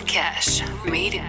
Cash Made.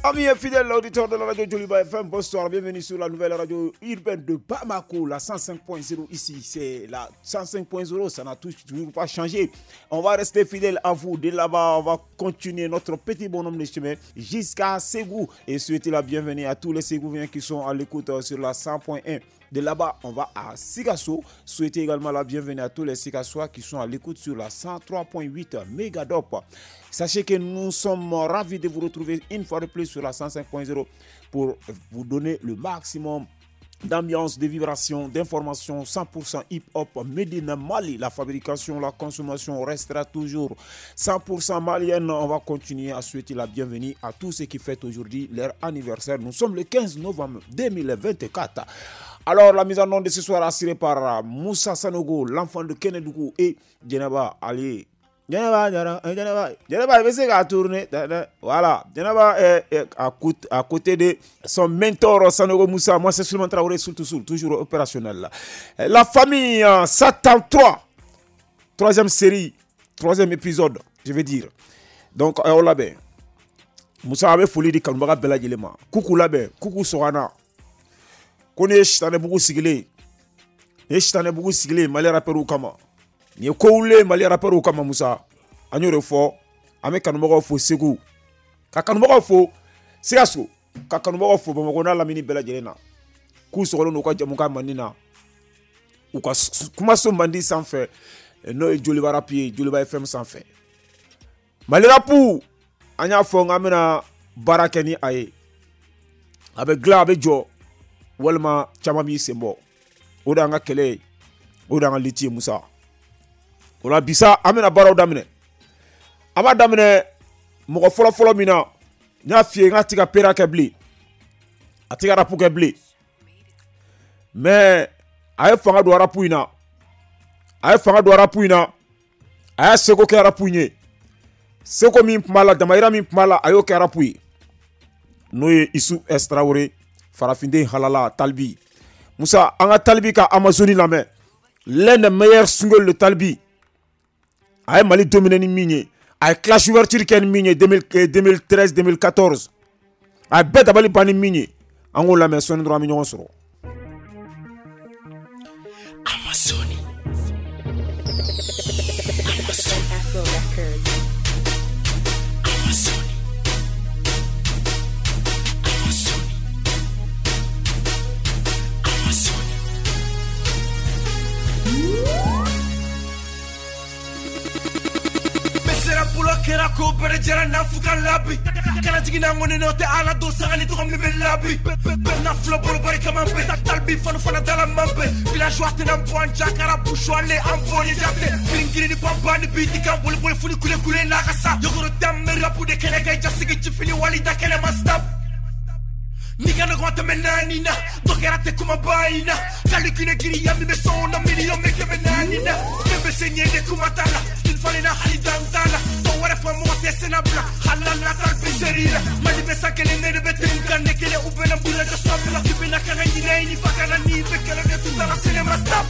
Amis et fidèles auditeurs de la radio Joliba FM, bonsoir, bienvenue sur la nouvelle radio urbaine de Bamako, la 105.0 ici, c'est la 105.0, ça n'a toujours pas changé. On va rester fidèle à vous, de là-bas, on va continuer notre petit bonhomme de chemin jusqu'à Ségou et souhaiter la bienvenue à tous les Ségouviens qui sont à l'écoute sur la 100.1. De là-bas, on va à Sikasso. Souhaiter également la bienvenue à tous les Sikassois qui sont à l'écoute sur la 103.8 Megadop. Sachez que nous sommes ravis de vous retrouver une fois de plus sur la 105.0 pour vous donner le maximum d'ambiance, de vibrations, d'informations 100% hip-hop made in Mali. La fabrication, la consommation restera toujours 100% malienne. On va continuer à souhaiter la bienvenue à tous ceux qui fêtent aujourd'hui leur anniversaire. Nous sommes le 15 novembre 2024. Alors, la mise en onde de ce soir assurée par Moussa Sanogo, l'enfant de Kenedougou et Djenaba Ali. Djenaba, il va tourner. Voilà. Djenaba est à côté de son mentor Sanogo Moussa. Moi, c'est Souleymane Traoré, toujours opérationnel. La famille Satan 3, troisième série, troisième épisode, je vais dire. Donc, on l'a bien. Moussa avait folie de Kanubaga Bela Djelema. Coucou là-bas, coucou Sorana. Ko ne ye sitanɛbugu sigilen, ne ye sitanɛbugu sigilen Mali rappeurs kama. Nin ye ko wulilen Mali rappeurs kama Musa. An y'o de fɔ, an bɛ kanubagaw fo Segu, ka kanubagaw fo Sikaso, ka kanubagaw fo Bamakɔ n'a lamini bɛɛ lajɛlen na. K'u sɔgɔlen don u ka jamukan mandi na, u ka kumaso mandi sanfɛ, n'o ye Joliba rap ye, Joliba FM sanfɛ. Mali rap, an y'a fɔ k'an bɛna baara kɛ ni a ye. A bɛ dilan, a bɛ jɔ. Walima caman b'i sen bɔ. O de y'an ka kɛlɛ ye, o de y'an ka lutte ye Musa. O la bi sa an bɛna baaraw daminɛ. An b'a daminɛ mɔgɔ fɔlɔ-fɔlɔ min na, n y'a f'i ye n k'a tɛ ka pera kɛ bilen, a tɛ ka rap kɛ bilen, mais a ye fanga don rap in na, a ye fanga don rap in na, a y'a seko kɛ rap in ye, seko min tun b'a la, damayira min tun b'a la, a y'o kɛ rap ye, n'o ye Isu S Traoré. Farafinden halala Talbi. Moussa, an ka Talbi ka Amazoni lamɛn. L'un des meilleurs singles de Talbi. A ye Mali dominé ni min ye. A ye clash ouverture kɛ ni min ye 2013 2014. A ye bɛɛ dabali ban ni min ye. An k'o lamɛn sɔɔni dɔrɔn an bɛ ɲɔgɔn sɔrɔ. Amazoni. Amazoni. Afro Records. Amazoni. Kera ko bere jara na fuka labi kana jigina ngoni no te ala do sanga ni togom ni be labi na flo boro bari kama be talbi fanu fana dala mambe villageois te na point jakara bouchoir le amfoni jate gringiri ni pamba ni biti kan boli boli funi kule kule na kasa yogoro tamme rapu de kele kay jasigi chifili wali da kele mastap Nigga no guanta me nanina, dokera te kuma baina. Kalikune giri ya mi be sona million me ke me nanina. Bebe senye de kumatala, stil falina hali dantala. Towara fa mo te senabla, halala tal biserila. Mali be sakele ne be tinka nekele ubena bula de stop la kibina kana ni ni fakana ni be kala de tutala cinema stop.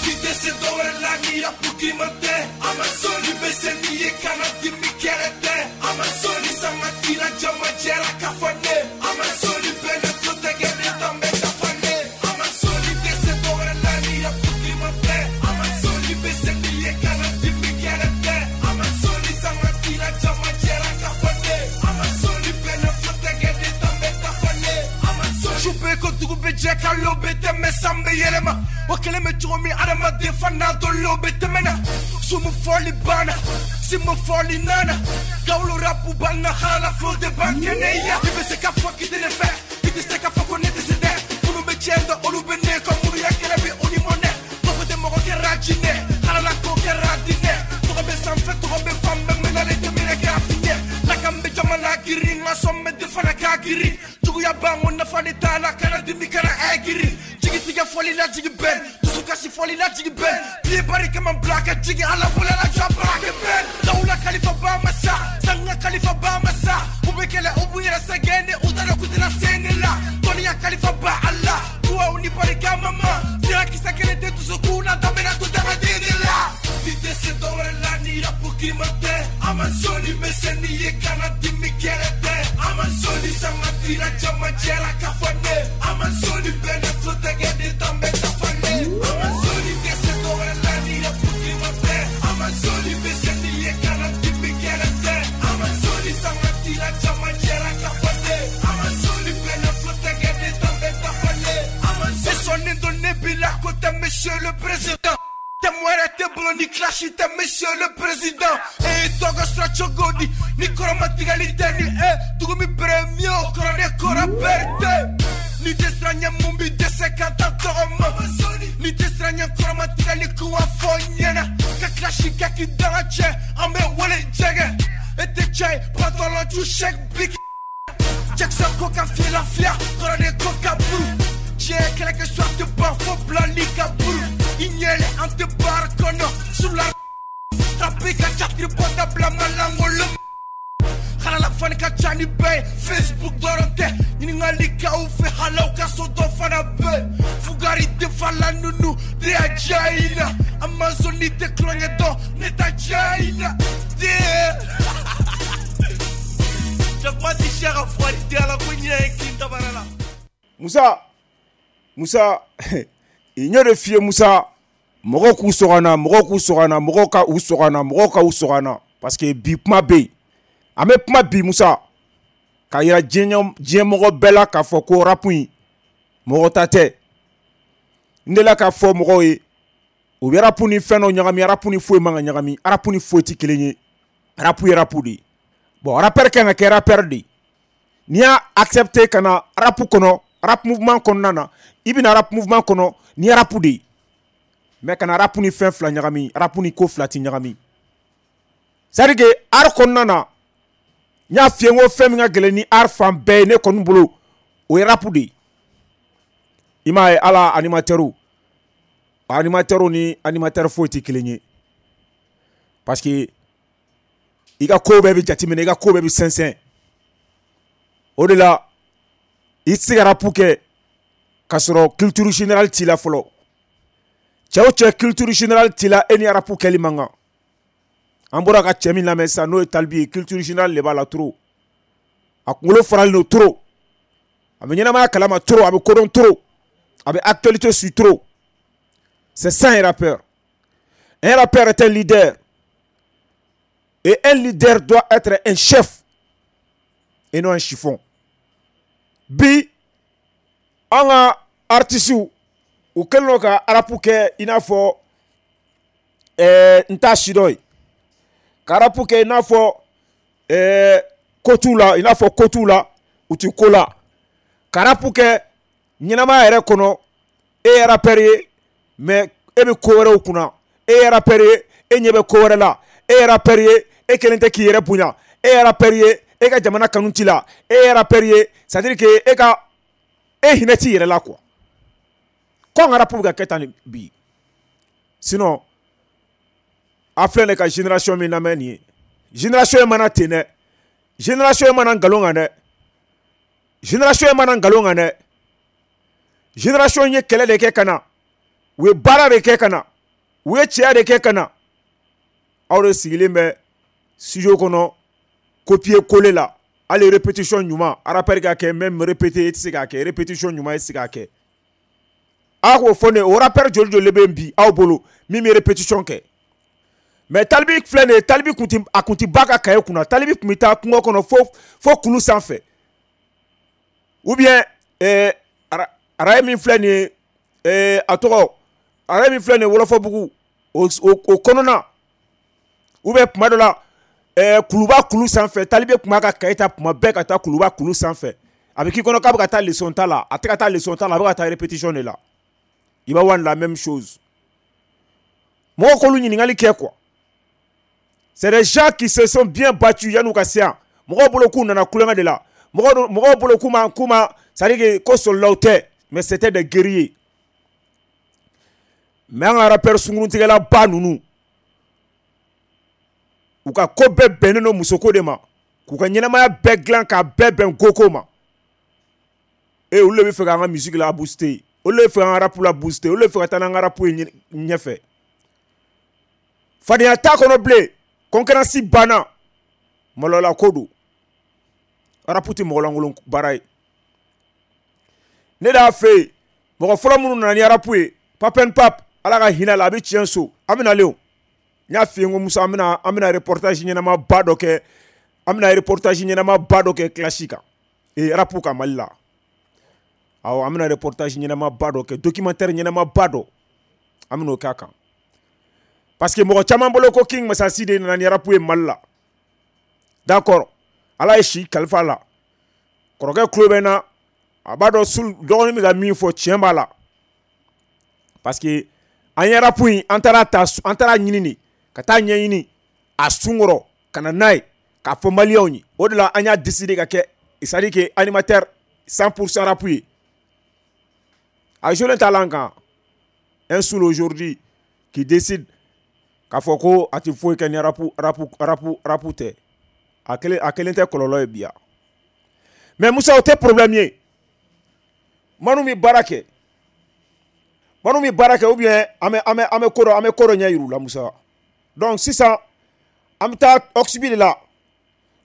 Kite se dore la ni apuki mate, Amazoni be seniye kana dimi kerete, Amazoni sanga tira jama jera kafane, Amazoni bene protege ne tambe kafane, Amazoni te se dore la ni apuki mate, Amazoni be seniye kana dimi kerete, Amazoni sanga tira jama jera kafane, Amazoni bene protege ne tambe kafane, Amazoni Choupe ko dugu be jeka lobe te me sambe yelema. Wakele me chomi adama defana dolo betemena. Sumu foli bana, simu foli nana. Gaulo rapu bana hala flow de bankeneya. Ibe se ka fuck it in effect. Ite se ka fuck on it is there. Kunu be chenda olu be giri juguya bango nafa ni t'a la kana dimi kana ɛgiri jigi tigɛ fɔli la jigi bɛn dusukasi fɔli la jigi bɛn pied bari kama bila ka jigi ala bolo la jɔ baara bɛn dawula kalifa ba ma sa sanga kalifa ba ma sa u bɛ kɛlɛ u b'u yɛrɛ sɛgɛn de u t'a dɔn k'u tɛna se ne la dɔnniya kalifa ba ala duwawu ni barika ma sira kisɛ kelen tɛ dusukun na daminɛ to dangaden de la ni tɛ se dɔwɛrɛ la ni rapu kirima tɛ Amazoni bɛ se n'i ye kana dimi kɛlɛ tɛ Amazoni sanga dira jamajɛra ka fɔ ne Amazoni bɛ ne tulo tɛgɛ de tan bɛ dafalen Amazoni tɛ se dɔwɛrɛ la ni rapu kirima tɛ Amazoni bɛ se n'i ye kana dimi kɛlɛ tɛ Amazoni sanga dira jamajɛra ka fɔ ne Amazoni bɛ ne tulo tɛgɛ de tan bɛ dafalen Amazoni sɔnnen don ne bi la ko tɛ monsieur le président tɛ wɛrɛ tɛ bolo ni clash tɛ monsieur le président e tɔgɔ sɔrɔ cogo di ni kɔrɔmatigɛli tɛ ni e dugu min premier o kɔrɔ de kɔrɔ berete ni tɛ siran ɲɛ mun bi dɛsɛ ka taa tɔgɔ ma ni tɛ siran ɲɛ kɔrɔmatigɛli k'u wa fɔ ɲɛna ka clash kɛ k'i danga cɛ an bɛ wele jɛgɛ e tɛ cɛ ye pantalon tu chèque big Jackson ko ka fiyɛ lafiya kɔrɔ de ko ka buru diɲɛ kɛlɛ kɛ soit tɛ ban fo bilali ka buru i ɲɛlɛ an tɛ baara kɔnɔ sula trapi ka catiri bɔ dabila malangolo halala fani ka ca ni bɛɛ ye Facebook dɔrɔn tɛ ɲininkali k'aw fɛ halaw ka so dɔ fana bɛ fugari tɛ fala nunu de y'a diya i la Amazon tɛ tulonkɛ dɔn ne ta diya i la jakuma ti siya ka fugari tɛ ala ko ɲinɛ ye kin dabara la. Musa n y'o de f'i ye Musa mɔgɔw k'u sɔgɔ na mɔgɔw k'u sɔgɔ na mɔgɔw ka u sɔgɔ na mɔgɔw ka u sɔgɔ na parce que bi kuma bɛ yen an bɛ kuma bi Musa k'a yira diɲɛmɔgɔ bɛɛ la k'a fɔ ko rap in mɔgɔ ta tɛ n delila k'a fɔ mɔgɔw ye u bɛ rap ni fɛn dɔ ɲagami rap ni foyi man ka ɲagami rap ni foyi tɛ kelen ye rap ye rap de ye bon rappeur kan ka kɛ rappeur de ye n'i y'a accepter ka na rap kɔnɔ rap mouvement kɔnɔna na i bɛna rap mouvement kɔnɔ ni rap de ye mais kana rap ni fɛn fila ɲagami rap ni ko fila ti ɲagami c'est à dire que art kɔnɔna na n y'a f'i ye n ko fɛn min ka gɛlɛn ni art fan bɛɛ ye ne kɔni bolo o ye rap de ye i m'a ye ala animateur ni animateur foyi tɛ kelen ye parce que i ka ko bɛɛ bɛ jateminɛ i ka ko bɛɛ bɛ sɛnsɛn o de la i tɛ se ka rap kɛ k'a sɔrɔ culture générale t'i la fɔlɔ cɛ o cɛ culture générale t'i la e ni rap kɛli man kan an bɔra ka cɛ min lamɛn sisan n'o ye Talibi ye culture générale de b'a la trop a kunkolo faralen don trop a bɛ ɲɛnamaya kalama trop a bɛ kodɔn trop a bɛ actualité suit trop. C'est ça un rappeur. Un rappeur est un leader et un leader doit être un chef et non un chiffon. Bi an ka artistes u kɛlen don ka rap kɛ i n'a fɔ n t'a si dɔn ye ka rap kɛ i n'a fɔ ko t'u la i n'a fɔ ko t'u la u ti ko la ka rap kɛ ɲɛnamaya yɛrɛ kɔnɔ e ye rappeur ye mais e bɛ ko wɛrɛw kunna e ye rappeur ye e ɲɛ bɛ ko wɛrɛ la e ye rappeur ye e kelen tɛ k'i yɛrɛ bonya e ye rappeur ye e ka jamana kanu t'i la e ye rappeur ye c'est à dire que e ka e hinɛ t'i yɛrɛ la quoi ko an ka rap bɛ ka kɛ tan bi sinon a filɛ nin ka génération min lamɛn nin ye génération in mana ten dɛ génération in mana nkalon kan dɛ génération in mana nkalon kan dɛ génération ye kɛlɛ de kɛ ka na u ye baara de kɛ ka na u ye cɛya de kɛ ka na aw de sigilen bɛ studio kɔnɔ copier coller la hali répétition ɲuman rappeur ka kɛ même répéter e tɛ se k'a kɛ répétition ɲuman e tɛ se k'a kɛ a k'o fɔ ne o rappeur joli joli bɛ yen bi aw bolo min bɛ répétition kɛ mais Talibi filɛ nin ye Talibi kun ti a kun ti ba ka kaye kunna Talibi kun bɛ taa kungo kɔnɔ fo kulu sanfɛ ou bien araye min filɛ nin ye a tɔgɔ araye min filɛ nin ye Wɔlɔfɔbugu o kɔnɔna ou bien tuma dɔ la kuluba kulu sanfɛ Talibi kun b'a ka kaye ta tuma bɛɛ ka taa kuluba kulu sanfɛ a bɛ k'i kɔnɔ k'a bɛ ka taa leçon ta la a tɛ ka taa leçon ta la a bɛ ka taa répétition de la i b'a la même chose mɔgɔw k'olu ɲininkali kɛ quoi. C'est des gens qui se sont bien battus yan'u ka se yan mɔgɔw bolo k'u nana kulonkɛ de la. Mɔgɔw bolo k'u ma, c'est à dire que ko solilaw tɛ, mais c'était des guerriers. Mais an ka rappeur sunkuruntigɛla ba ninnu, u ka ko bɛɛ bɛnnen don musoko de ma, k'u ka ɲɛnamaya bɛɛ dilan k'a bɛɛ bɛn koko ma. E, olu de bɛ fɛ k'an ka musique la booster, olu de bɛ fɛ k'an ka rap la booster, olu de bɛ fɛ ka taa n'an ka rap ye ɲɛfɛ. Fadenya t'a kɔnɔ bilen, concurrence banna, maloyala ko don. Rap tɛ mɔgɔlankolon baara ye. Ne de y'a fɛ yen, mɔgɔ fɔlɔ minnu nana ni rap ye, Papen Pap, Ala ka hinɛ la, a bɛ tiɲɛ so. An bɛ nalen o, n y'a f'i ye, n ko Musa, an bɛna reportage ɲɛnama ba dɔ kɛ, an bɛna reportage ɲɛnama ba dɔ kɛ clash kan, ee, rap kan Mali la. Awɔ, an bɛna reportage ɲɛnama ba dɔ kɛ, documentaire ɲɛnama ba dɔ, an bɛn'o k'a kan, parce que mɔgɔ caman bolo ko King Masasi de nana ni rap ye Mali la. D'accord, Ala ye si kalifa la, kɔrɔkɛ tulo bɛ n na, a b'a dɔn sul dɔgɔnin bɛ ka min fɔ, tiɲɛ b'a la, parce que an ye rap in, an taara ta, an taara ɲini de ka taa ɲɛɲini a sunkɔrɔ ka na n'a ye k'a fɔ maliyɛnw ye. O de la an y'a décidé ka kɛ, c'est à dire que animateur 100% rap ye. A joué t'a la an kan. Un Soul aujourd'hui qui décide k'a fɔ ko a tɛ foyi kɛ ni rap rap rap rap tɛ, a kelen tɛ kɔlɔlɔ ye bi yan. Mais Musa, o tɛ problème ye. Minnu bɛ baara kɛ, minnu bɛ baara kɛ, ou bien an bɛ ko dɔ, an bɛ ko dɔ ɲɛ yir'u la, Musa. Donc sisan an bɛ taa Oxby de la.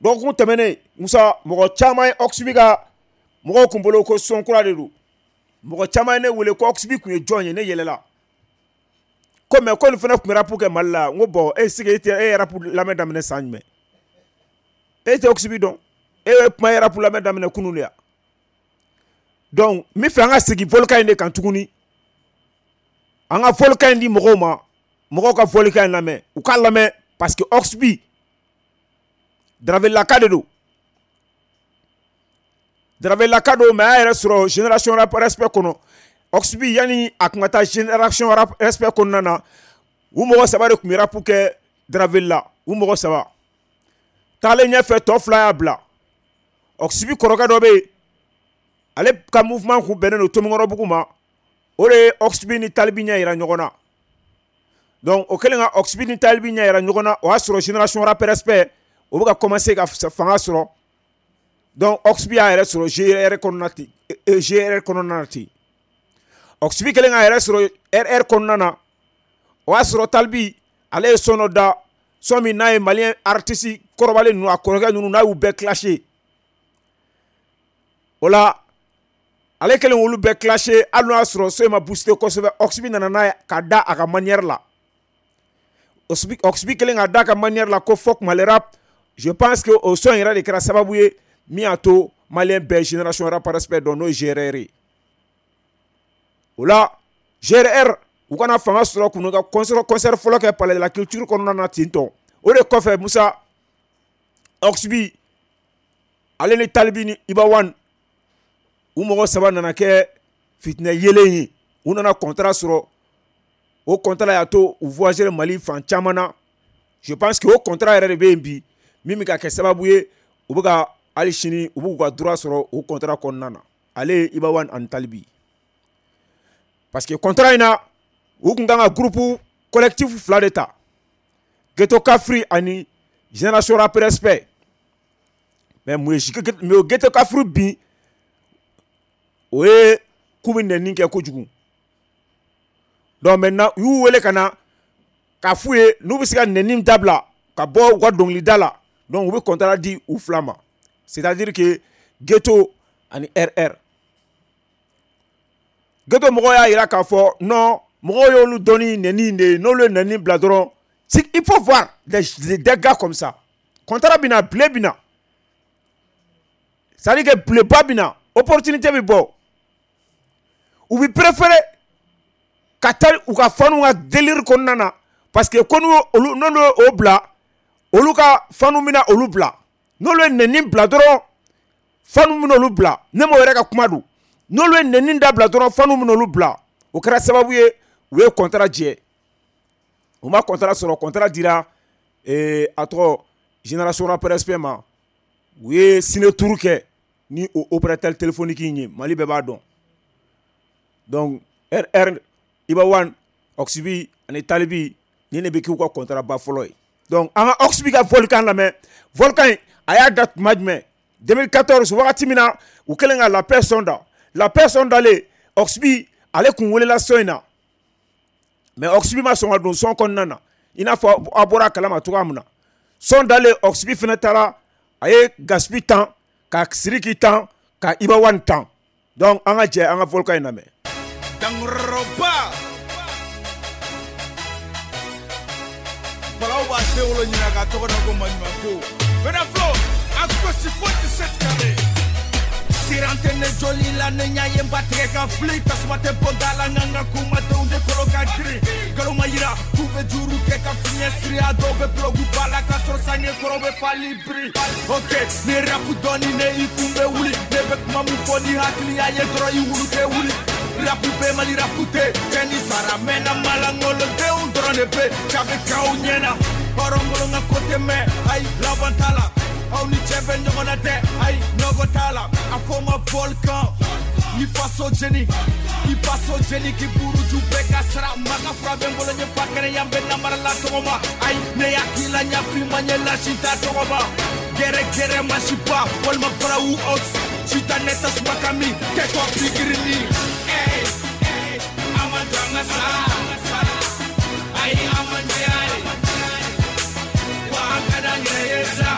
Dɔgɔkun tɛmɛnen, Musa, mɔgɔ caman ye Oxby ka, mɔgɔw kun bolo ko son kura de don. Mɔgɔ caman ye ne wele ko Oxby kun ye jɔn ye. Ne yɛlɛla ko mais ko nin fana tun bɛ rap kɛ Mali la. N ko bon, e sigi, e tɛ e ye rap lamɛn daminɛ san jumɛn? E tɛ Oxby dɔn, e ye kuma ye rap lamɛn daminɛ kunun de ya. Donc n bɛ fɛ an ka segin fɔlikan in de kan tuguni, an ka fɔlikan in di mɔgɔw ma, mɔgɔw ka fɔlikan in lamɛn, u k'a lamɛn, parce que Oxby Daravelaka de don, Daravelaka don, mais a y'a yɛrɛ sɔrɔ Génération Rap Respect kɔnɔ. Oxby, yanni a kun ka taa Génération Rap Respect kɔnɔna na, u mɔgɔ saba de tun bɛ rap kɛ Draveli la. U mɔgɔ saba taalen ɲɛfɛ, tɔ fila y'a bila. Oxby kɔrɔkɛ dɔ bɛ yen, ale ka mouvement kun bɛnnen don Tomikɔrɔbugu ma, o de ye Oxby ni Talibi ɲɛ yira ɲɔgɔn na. Donc o kɛlen ka Oxby ni Talibi ɲɛ yira ɲɔgɔn na, o y'a sɔrɔ Génération Rap Respect o bɛ ka commencer ka fanga sɔrɔ. Donc Oxby y'a yɛrɛ sɔrɔ GR kɔnɔna ten, GR kɔnɔna na ten. Oxby kɛlen k'a yɛrɛ sɔrɔ RR kɔnɔna na, o y'a sɔrɔ Talibi ale ye son dɔ da, son min n'a ye malien artiste kɔrɔbalen ninnu, a kɔrɔkɛ ninnu, n'a y'u bɛɛ clashé. O la ale kɛlen k'olu bɛɛ clashé, hali n'o y'a sɔrɔ son in ma booster kosɛbɛ, Oxby nana n'a ye ka da a ka manière la. Oxby kɛlen ka da a ka manière la ko fuck Mali rap, je pense que o son yɛrɛ de kɛra sababu ye min y'a to malien bɛɛ Génération Rap Respect dɔn, n'o ye GRR ye. O la GRR, u kana fanga sɔrɔ k'u ka concert fɔlɔ kɛ Palais de la Culture kɔnɔna na ten tɔ. O de kɔfɛ, Musa, Oxby ale ni Talibi ni Iba One, u mɔgɔ saba nana kɛ fitinɛ yelen ye. U nana contrat sɔrɔ, o contrat y'a to u voyager Mali fan caman na. Je pense que o contrat yɛrɛ de bɛ yen bi, min bɛ ka kɛ sababu ye u bɛ ka hali sini u b'u ka droit sɔrɔ o contrat kɔnɔna na, ale ye Iba One ani Talibi, parce que contrat in na, u kun kan ka groupe collectif fila de ta, Ghetto Kafri ani Génération Rap Respect. Mais mun ye mais o Ghetto Kafri bin, o ye k'u bɛ nɛni kɛ kojugu. Donc maintenant u y'u wele ka na k'a f'u ye n'u bɛ se ka nɛni dabila ka bɔ u ka dɔnkilida la. Donc u bɛ contrat di u fila ma, c'est à dire que Ghetto ani RR. Ghetto mɔgɔw y'a jira k'a fɔ non, mɔgɔw y'olu dɔn ni nɛni de ye, n'olu ye nɛni bila dɔrɔn. Il faut voir des gars comme ça, contrat bɛ na, blé bɛ na, c'est à dire que bléba bɛ na, opportunité bɛ bɔ, u bɛ préférer ka taa u ka fanu ka délire kɔnɔna na, parce que ko n'u olu n'olu y'o bila, olu ka fanu bɛna olu bila. N'olu ye nɛni bila dɔrɔn, fanu bɛna olu bila. Ne m'o yɛrɛ ka kuma don. N'olu ye nɛni dabila dɔrɔn, fanu bɛna olu bila. O kɛra sababu ye u ye contrat jɛ. U ma contrat sɔrɔ, contrat dira a tɔgɔ Génération Rap Respect ma. U ye ciné tour kɛ. ni o opérateur téléphonique in ye, Mali bɛɛ b'a dɔn. Donc RR, Iba One, Oxby ani Talibi, ni ne bɛ k'u ka contrat ba fɔlɔ ye. Donc an ka Oxby ka Volcan lamɛn. Volcan in a y'a da tuma jumɛn? 2014, wagati min na u kɛlen ka La Paix son da. La Paix son dalen, Oxby ale kun welela son in na, mais Oxby ma sɔn ka don son kɔnɔna na, i n'a fɔ a bɔra a kalama cogoya min na. Son dalen, Oxby fana taara, a ye Gaspi tan, ka Sidiki tan, ka Iba One tan. Donc an ka jɛ an ka Volcan in lamɛn. Dankɔrɔba balaw b'a den wolo ɲina k'a tɔgɔ da ko maɲumanko bɛna filo a gosi fo 17 carré. Siran tɛ ne joli la, ne ɲa ye n ba tigɛ ka fili, tasuma tɛ bɔ da la, nka n ka kumadenw de kolo ka girin. Nkalon ma yira k'u bɛ juru kɛ ka fiɲɛ siri, a dɔw bɛ bulogu ba la k'a sɔrɔ sange kɔrɔ bɛ fali biri. Ok, ne rapu dɔɔni, ne i kun bɛ wuli, ne bɛ kuma mun fɔ ni hakiliya ye dɔrɔn i wulu tɛ wuli. Rapu bɛ Mali rapu tɛ cɛ ni sara mɛnna, malangolodenw dɔrɔn de bɛ cabe k'aw ɲɛna. Hɔrɔnkolon ka ko tɛ mɛn, ayi laban t'a la, aw ni cɛ bɛ ɲɔgɔn na dɛ, ayi nɔgɔ t'a la. A fɔ ma Volcan ni faso jeni, i faso jeni k'i buruju bɛɛ ka sara. Maka fura bɛ n bolo, n ye fa kɛnɛ yan bɛ namara la tɔgɔ ma. Ayi ne y'a k'i la ɲafi ma ɲɛ lasi t'a tɔgɔ ma. Gɛrɛ gɛrɛ masiba walima barawu ox sita ne tasuma ka min kɛtɔ pikirini. A ma jɔ an ka sa, ayi a ma diya ye, wa an ka d'an yɛrɛ ye sa.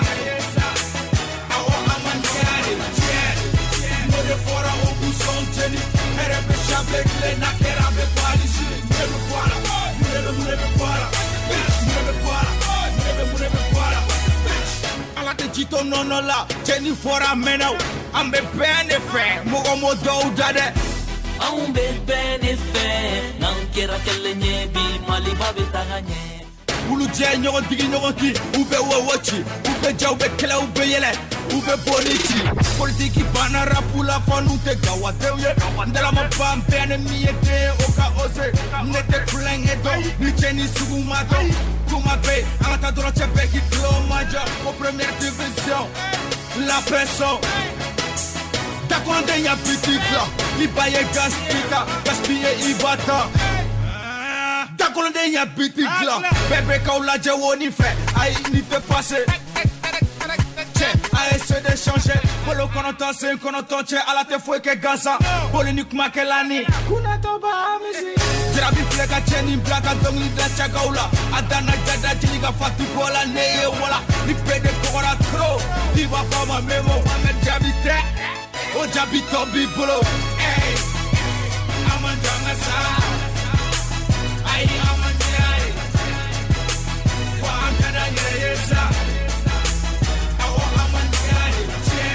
Awɔ a ma diya ye, tiɲɛ n'o de fɔra o k'u sɔn jeni. Hɛrɛ bɛ sable tile n'a kɛra a bɛ bali sini. Mun de bɛ bɔ a la? Mun de bɛ bɔ a la? Mun de bɛ bɔ a la? Mun de bɛ bɔ a la? Ala tɛ ji to nɔnɔ la, cɛ ni fɔra a mɛnna o. An bɛ bɛn de fɛ, mɔgɔ m'o dɔw da dɛ. Anw bɛ bɛn de fɛ, n'an kɛra kelen ye bi, Maliba bɛ taga ɲɛ. Wulujɛ ɲɔgɔn digi ɲɔgɔn kin, u bɛ wɔwɔ ci, u bɛ ja, u bɛ kɛlɛ, u bɛ yɛlɛ, u bɛ bɔ ni ci. Politiki banna rapu la, fɔ n'u tɛ gawadenw ye. N dalama ban bɛɛ ni min ye den ye, o ka ose. Ne tɛ kulonkɛ dɔn, ni cɛ ni sugu ma dɔn. Kuma bɛ yen, an ka taa dɔrɔn cɛ bɛɛ k'i tulo majɔ. O première division, la pression. Dakɔrɔnden ya biti dilan, i ba ye Gaspi ta, Gaspi ye Iba ta. Dakɔrɔnden ya biti dilan, bɛɛ bɛ k'aw lajɛ wo ni fɛ, ayi ni tɛ pase. Cɛ a ye se de changer, bolo kɔnɔntɔn sen kɔnɔntɔn cɛ, ala tɛ foyi kɛ gansan. Boli ni kumakɛla ni kunnatɔ b'a misi. Jarabi filɛ ka cɛ nin bila ka dɔnkili da cakaw la, a danna jada jeli ka fatu bɔ la, ne ye wala. Ni bɛɛ de kɔgɔra trop, i b'a fɔ a ma memo Mohamed Jaabi tɛ, o jaabi tɔ b'i bolo. A ma jɔ an ka sa, ayi a ma diya ye, wa an ka d'an yɛrɛ ye sa. Awɔ a ma diya ye, tiɲɛ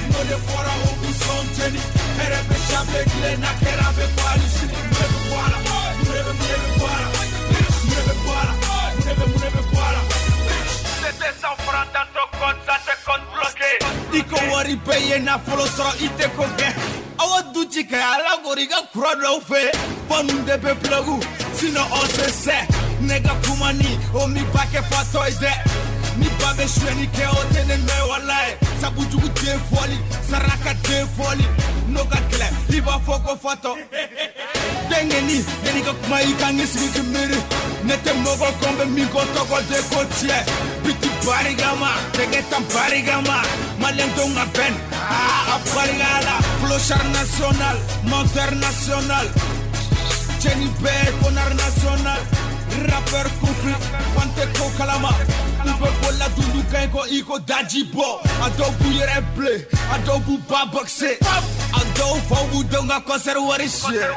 n'o de fɔra o k'u sɔn jeni. Hɛrɛ bɛ sable tile n'a kɛra a bɛ bali sini. Mun de bɛ bɔ a la? Mun de bɛ bɔ a la? Mun de bɛ bɔ a la? Mun de bɛ bɔ a la? C'était 100 francs dans ton compte, ça te compte bloqué. I ko wari bɛɛ ye nafolo sɔrɔ, i tɛ ko kɛ. Awa du ci kɛ ala kori ka kura dɔw fɛ. Fɔ de bɛ plug, sinon on se sait. Ne ka kuma ni o mi ba kɛ fatɔ ye dɛ. Ni ba bɛ suyɛnni kɛ o tɛ ne nɔ ye walayi. Sabu jugu den fɔli, saraka den fɔli. N'o ka gɛlɛn i b'a fɔ ko fatɔ. Denkɛni, yanni ka kuma i kan k'i sigi k'i miiri. Ne tɛ mɔgɔ kɔn bɛ min kɔ tɔgɔ de ko tiɲɛ. Biti barikama, tɛgɛ tan barikama. Maliyɛn denw ka bɛn, a barika la. Clochard national, menteur national. Cɛni bɛɛ connard national. Rappeur conflit, fan tɛ ko kalama. U bɛ bɔ la dundu kan kɔ i ko daji bɔ. A dɔw b'u yɛrɛ bilen, a dɔw b'u ba boxe. A dɔw faw b'u denw ka concert wari siɲɛ.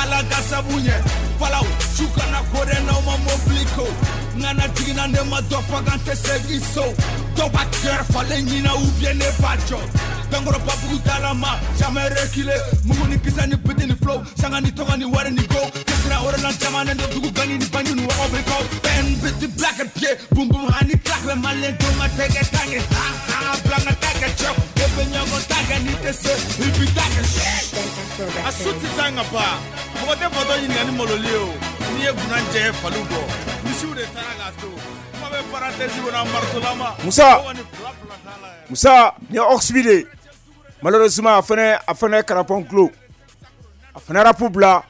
Ala ka sabu ɲɛ, falaw su kana ko dɛ n'aw ma mobili ko. N kana jiginna ne ma dɔ faga n tɛ segin so. Dɔw b'a kɛrɛ falen ɲina ou bien ne b'a jɔ. Dankɔrɔba bugu dalama, jamais reculer. Mugu ni kisɛ ni biti ni flow, sanga ni tɔgɔ ni wari ni go. Kisira orelan jamanen don dugu gangi ni bangi ni wɔgɔ bɛ kɔ. Bɛn biti black and pied, boom boom hani clack bɛ malien denw ka tɛgɛ tange. Ha ha bila n ka taa kɛ cɛw, e bɛ ɲɔgɔn ta kɛ n'i tɛ se, i b'i ta kɛ. A su tɛ taa nka ba, mɔgɔ tɛ fatɔ ɲininka ni maloli ye o. N'i ye gunna jɛ faliw kɔ, misiw de taara k'a to. Kuma bɛ Musa, Musa ni ye Oxby de ye. Malheureusement, a fana ye karapɔn kulo, a fana rap bila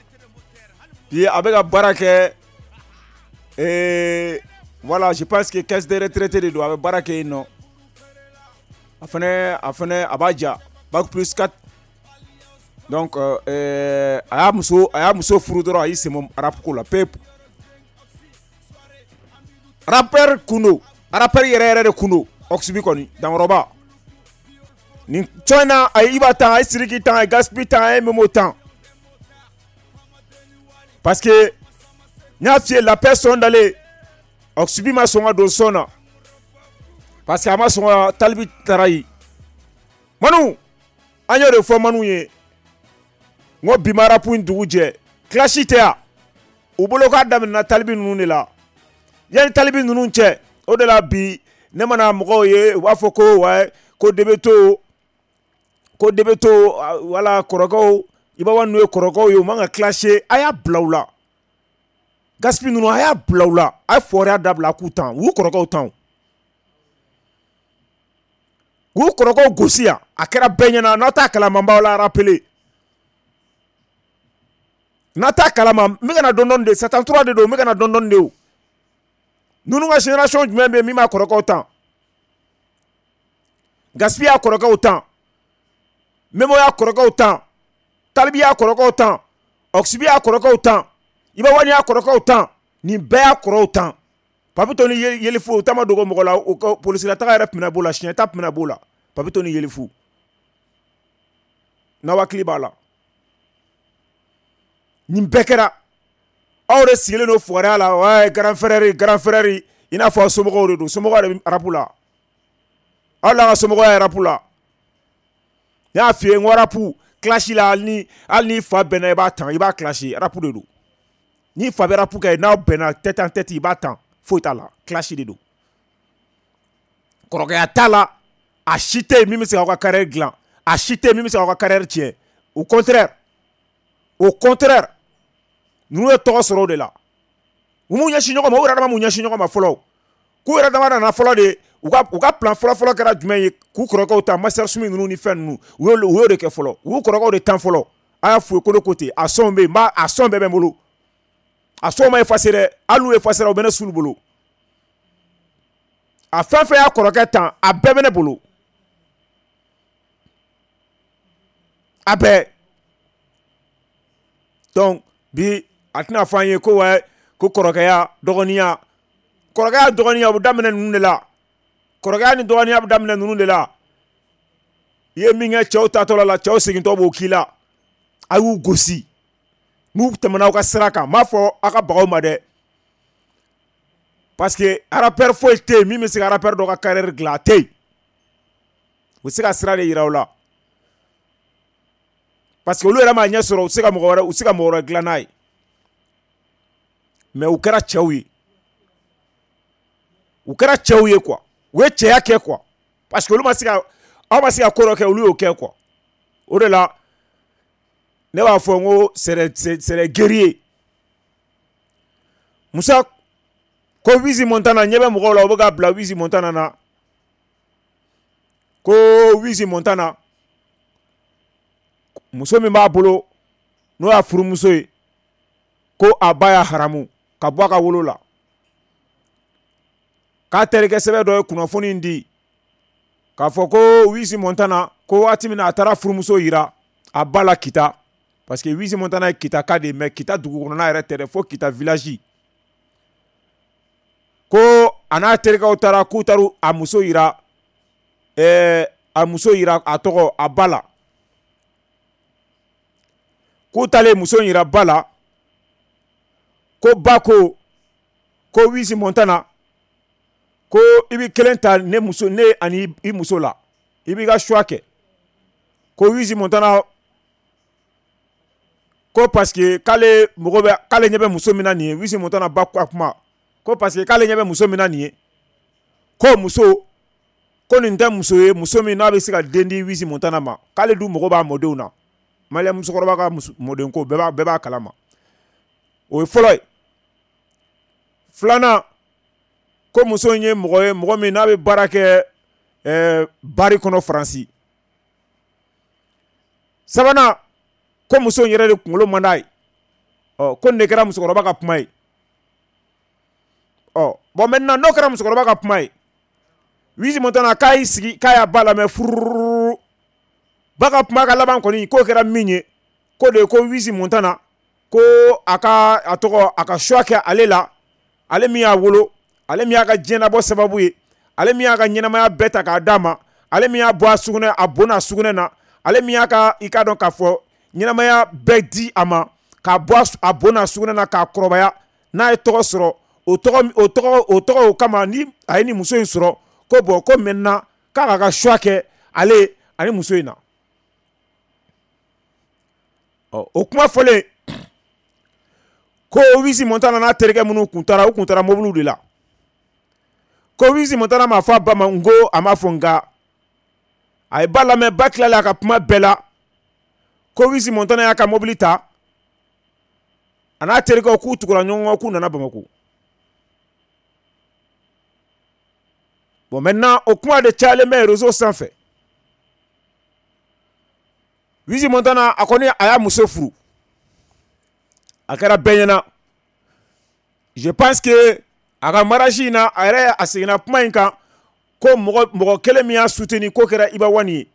bi. A bɛ ka baara kɛ, voilà, je pense que caisse de retraite de don, a bɛ baara kɛ yen nɔ. A fana a b'a ja bac plus 4. Donc a y'a muso furu dɔrɔn, a y'i sen bɔ rap ko la pewu. Rappeur kun don, rappeur yɛrɛ yɛrɛ de kun don. Oxby kɔni dankɔrɔba nin tɔn in na, a ye Iba tan, a ye Sidiki tan, a ye Gaspi tan, a ye Memo tan, parce que n y'a f'i ye, la paix sɔn dalen, Oxby ma sɔn ka don sɔn na, parce que a ma sɔn ka Talibi taara yen. Manu, an y'o de fɔ Manu ye, n ko bi ma rap in dugu jɛ, clash tɛ yan u bolo, k'a daminɛna Talibi ninnu de la. Yanni Talibi ninnu cɛ, o de la bi ne mana mɔgɔw ye, u b'a fɔ ko wa ko Debeto, ko Debeto, wala kɔrɔkɛw, Iba One n'u ye kɔrɔkɛw ye, u man ka clasher. A y'a bila u la. Gaspi ninnu, a y'a bila u la, a ye fɔriya dabila k'u tan, u y'u kɔrɔkɛw tan, u y'u kɔrɔkɛw gosi yan. A kɛra bɛɛ ɲɛna. N'aw t'a kalama, n b'aw la rappeler. N'a t'a kalama, n bɛ ka na dɔɔni dɔɔni de, Satan 3 de don, n bɛ ka na dɔɔni dɔɔni de. O ninnu ka génération jumɛn bɛ yen min b'a kɔrɔkɛw tan? Gaspi y'a kɔrɔkɛw tan, Memo y'a kɔrɔkɛw tan, Talibi y'a kɔrɔkɛw tan, Oxby y'a kɔrɔkɛw tan, Iba One y'a kɔrɔkɛw tan, nin bɛɛ y'a kɔrɔw tan. Papito ni Yelifu, u ta ma dogo mɔgɔ la. U ka polisila taga yɛrɛ tun bɛna b'o la, siɲɛ ta tun bɛna b'o la. Papito ni Yelifu, n'aw hakili b'a la, nin bɛɛ kɛra. Aw de sigilen don fugariya la, ouais, grand frère, grand frère, i n'a fɔ aw somɔgɔw de don. Somɔgɔw de bɛ rap la, aw la ka somɔgɔya rap la. Ne y'a f'i ye, n ko rap clash la, hali ni fa bɛnna, i b'a tan, i b'a clash. Rap de don. Ni fa bɛ rap kɛ, n'aw bɛnna tête en tête, i b'a tan, foyi t'a la. Clash de don, kɔrɔkɛya t'a la. A si tɛ yen min bɛ se k'aw ka carrière dilan, a si tɛ yen min bɛ se k'aw ka carrière tiɲɛ. Au contraire, au contraire, ninnu ye tɔgɔ sɔrɔ o de la. U m'u ɲɛsin ɲɔgɔn ma, u yɛrɛ dama m'u ɲɛsin ɲɔgɔn ma fɔlɔ. K'u yɛrɛ dama nana fɔlɔ de, u ka plan fɔlɔ fɔlɔ kɛra jumɛn ye? K'u kɔrɔkɛw ta, Master Sumi ninnu ni fɛn ninnu, u y'o de kɛ fɔlɔ. U y'u kɔrɔkɛw de tan fɔlɔ. A y'a f'u ye ko ne ko ten, a sɔn bɛ yen, n b'a a sɔn bɛɛ bɛ n bolo. A sɔn ma effacer dɛ, hali n'u effacer, u bɛ ne sulu bolo. A fɛn fɛn y'a kɔrɔkɛ tan, a bɛɛ bɛ ne bolo, a bɛɛ. Donc bi a tɛna fɔ an ye ko wa ko kɔrɔkɛya dɔgɔninya, kɔrɔkɛya dɔgɔninya, o bɛ daminɛ ninnu de la. Kɔrɔkɛya ni dɔgɔninya bɛ daminɛ ninnu de la. I ye min kɛ cɛw tatɔla la, cɛw segintɔ b'o k'i la. A y'u gosi n'u tɛmɛna aw ka sira kan. N b'a fɔ aw ka bagaw ma dɛ, parce que rappeur foyi tɛ yen min bɛ se ka rappeur dɔ ka carrière dilan, a tɛ yen. U bɛ se ka sira de yira u la, parce que olu yɛrɛ m'a ɲɛ sɔrɔ, u tɛ se ka mɔgɔ wɛrɛ, u tɛ se ka mɔgɔ wɛrɛ dilan n'a ye. Mais u kɛra cɛw ye, u kɛra cɛw ye quoi, u ye cɛya kɛ quoi, parce que olu ma se ka, aw ma se ka ko dɔ kɛ, olu y'o kɛ quoi. O de la ne b'a fɔ n ko c'est des guerriers. Musa ko Wizi Montana, ɲɛ bɛ mɔgɔw la, u bɛ ka bila Wizi Montana na, ko Wizi Montana muso min b'a bolo, n'o y'a furumuso ye, ko a ba y'a haramu ka bɔ a ka wolo la, k'a terikɛ sɛbɛn dɔ ye kunnafoni di k'a fɔ ko Wizi Montana ko waati min na a taara furumuso yira a ba la Kita, parce que Wizi Montana ye Kita ka de ye, mais Kita dugu kɔnɔna yɛrɛ tɛ dɛ, fo Kita village. Ko a n'a terikɛw taara, k'u taara a muso yira, a muso yira, a tɔgɔ, a ba la. K'u taalen muso yira ba la, ko ba ko ko Wizi Montana, ko i bɛ kelen ta, ne muso, ne ani i muso la, i b'i ka choix kɛ. Ko Wizi Montana ko parce que k'ale mago bɛ, k'ale ɲɛ bɛ muso min na nin ye. Wizi Montana ba ka kuma ko parce que k'ale ɲɛ bɛ muso min na nin ye, ko muso ko nin tɛ muso ye, muso min n'a bɛ se ka den di Wizi Montana ma, k'ale dun mago b'a mɔdenw na. Maliyɛn musokɔrɔba ka mɔden ko, bɛɛ b'a kalama. O ye fɔlɔ ye. Filanan Ko muso in ye mɔgɔ ye, mɔgɔ min n'a bɛ baara kɛ bari kɔnɔ Faransi. Sabanan, ko muso in yɛrɛ de kunkolo man d'a ye. Ɔ, ko nin de kɛra musokɔrɔba ka kuma ye. Ɔ bon, maintenant n'o kɛra musokɔrɔba ka kuma ye, Wizi Montana k'a y'i sigi k'a y'a ba lamɛn furururu. Ba ka kuma ka laban kɔni, k'o kɛra min ye, ko de ko Wizi Montana ko a ka a tɔgɔ, a ka choix kɛ ale la, ale min y'a wolo, ale min y'a ka diɲɛnabɔ sababu ye, ale min y'a ka ɲɛnamaya bɛɛ ta k'a d'a ma, ale min y'a bɔ a sugunɛ, a bon a sugunɛ na, ale min y'a ka, i k'a dɔn k'a fɔ, ɲɛnamaya bɛɛ di a ma, k'a bɔ a bon a sugunɛ na, k'a kɔrɔbaya, n'a ye tɔgɔ sɔrɔ, o tɔgɔ, o tɔgɔ, o tɔgɔ o kama ni a ye ni muso in sɔrɔ, ko bon, ko maintenant k'a k'a ka choix kɛ ale ani muso in na. Ɔ, o kuma fɔlen, ko Wizi Montana n'a terikɛ minnu kun taara, u kun taara mobiliw de la. Ko Wizi Montana m'a fɔ a ba ma n ko a m'a fɔ, nka a ye ba lamɛn. Ba tilala a ka kuma bɛɛ la. Ko Wizi Montana y'a ka mobili ta, a n'a terikɛw, k'u tugura ɲɔgɔn kɔ, k'u nana Bamako. Bon, maintenant o kuma de cayalen bɛ réseau sanfɛ. Wizi Montana, a kɔni a y'a muso furu, a kɛra bɛɛ ɲɛna. Je pense que a ka mariage in na, a yɛrɛ a seginna kuma in kan ko mɔgɔ mɔgɔ kelen min y'a soutenir, k'o kɛra Iba One ye.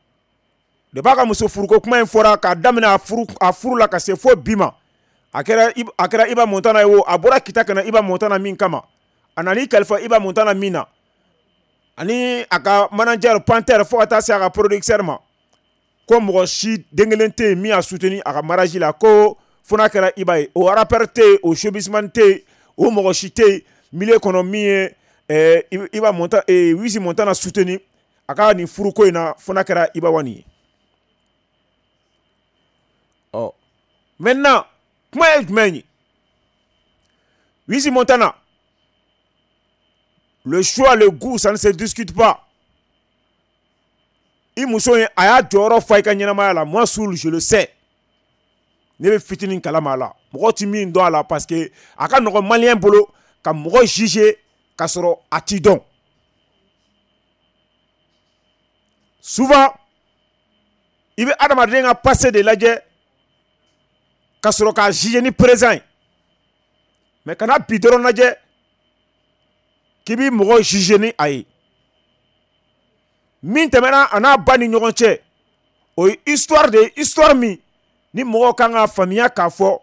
De b'a ka muso furuko kuma in fɔra k'a daminɛ a furu la ka se fo bi ma, a kɛra Iba Montana ye o. A bɔra Kita ka na Iba Montana min kama, a nan'i kalifa Iba Montana min na, ani a ka manager Panthère, fo ka taa se a ka producteur ma, ko mɔgɔ si den kelen tɛ yen min y'a soutenir a ka mariage la, ko fo n'a kɛra Iba ye. O rappeur tɛ yen, o showbizman tɛ yen, o mɔgɔ si tɛ yen milieu kɔnɔ min ye Iba Montana, Wizi Montana soutenir a ka nin furuko in na, fo n'a kɛra Iba One ye. Ɔ, maintenant kuma ye jumɛn ye? Wizi Montana, le choix, le goût, ça ne se discute pas. I muso in, a y'a jɔyɔrɔ fa i ka ɲɛnamaya la. Moi seul je le sais, ne bɛ fitinin kalama a la, mɔgɔ ti min dɔn a la, parce que a ka nɔgɔn malien bolo ka mɔgɔ juger k'a sɔrɔ a t'i dɔn. Souvent i bɛ adamaden ka passé de lajɛ ka sɔrɔ k'a juger ni présent ye, mais kana bi dɔrɔn lajɛ k'i b'i mɔgɔ juger ni a ye. Min tɛmɛna a n'a ba ni ɲɔgɔn cɛ, o ye histoire de ye, histoire min ni mɔgɔw kan ka faamuya k'a fɔ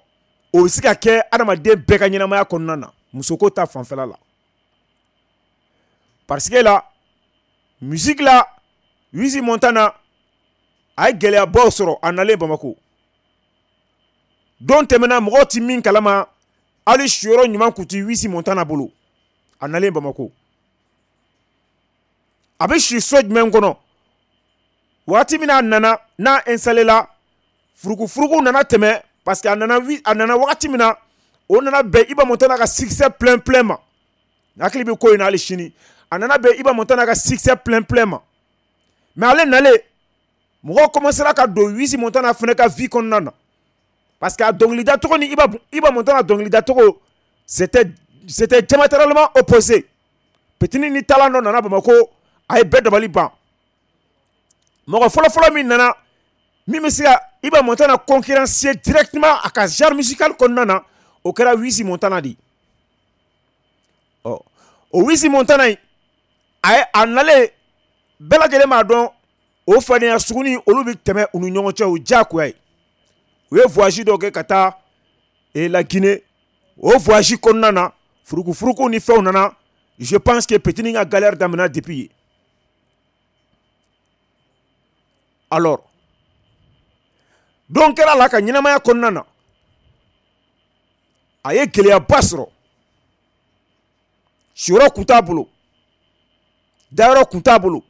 o bɛ se ka kɛ adamaden bɛɛ ka ɲɛnamaya kɔnɔna na, musoko ta fanfɛla la. Parce que la musique la, Wizi Montana a ye gɛlɛyabaw sɔrɔ a nalen Bamako. Don tɛmɛna, mɔgɔw ti min kalama, hali siyɔrɔ ɲuman kun ti Wizi Montana bolo a nalen Bamako. A bɛ si so jumɛn kɔnɔ? Waati min a nana n'a installé la, furukufuruku nana tɛmɛ, parce que a nana wagati min na, o nana bɛn Iba Montana ka succès plein plein ma. Hakili bɛ ko in na hali sini, a nana bɛn Iba Montana ka succès plein plein ma. Mais ale nalen, mɔgɔw commencera ka don Wizi Montana fana ka vie kɔnɔna na, parce que a dɔnkilidacogo ni Iba Montana dɔnkilidacogo, c'était diamétralement opposé. Petini ni talent dɔ nana Bamakɔ, a ye bɛɛ dabali ban. Mɔgɔ fɔlɔfɔlɔ min nana min bɛ se ka Iba Montana concurrencer directement a ka genre musical kɔnɔna na, o kɛra Wizi Montana de ye. Ɔ, o Wizi Montana in, a ye a nalen, bɛɛ lajɛlen b'a dɔn, o fadenya suguni olu bɛ tɛmɛ u ni ɲɔgɔn cɛ, o diyagoya ye. U ye voyage dɔ kɛ ka taa la Guinée. O voyage kɔnɔna na, furukufuruku ni fɛnw nana. Je pense que petini ka galère daminɛna depuis yen. Alors don kɛra la ka ɲɛnamaya kɔnɔna na, a ye gɛlɛyaba sɔrɔ. Siyɔrɔ kun t'a bolo, dayɔrɔ kun t'a bolo.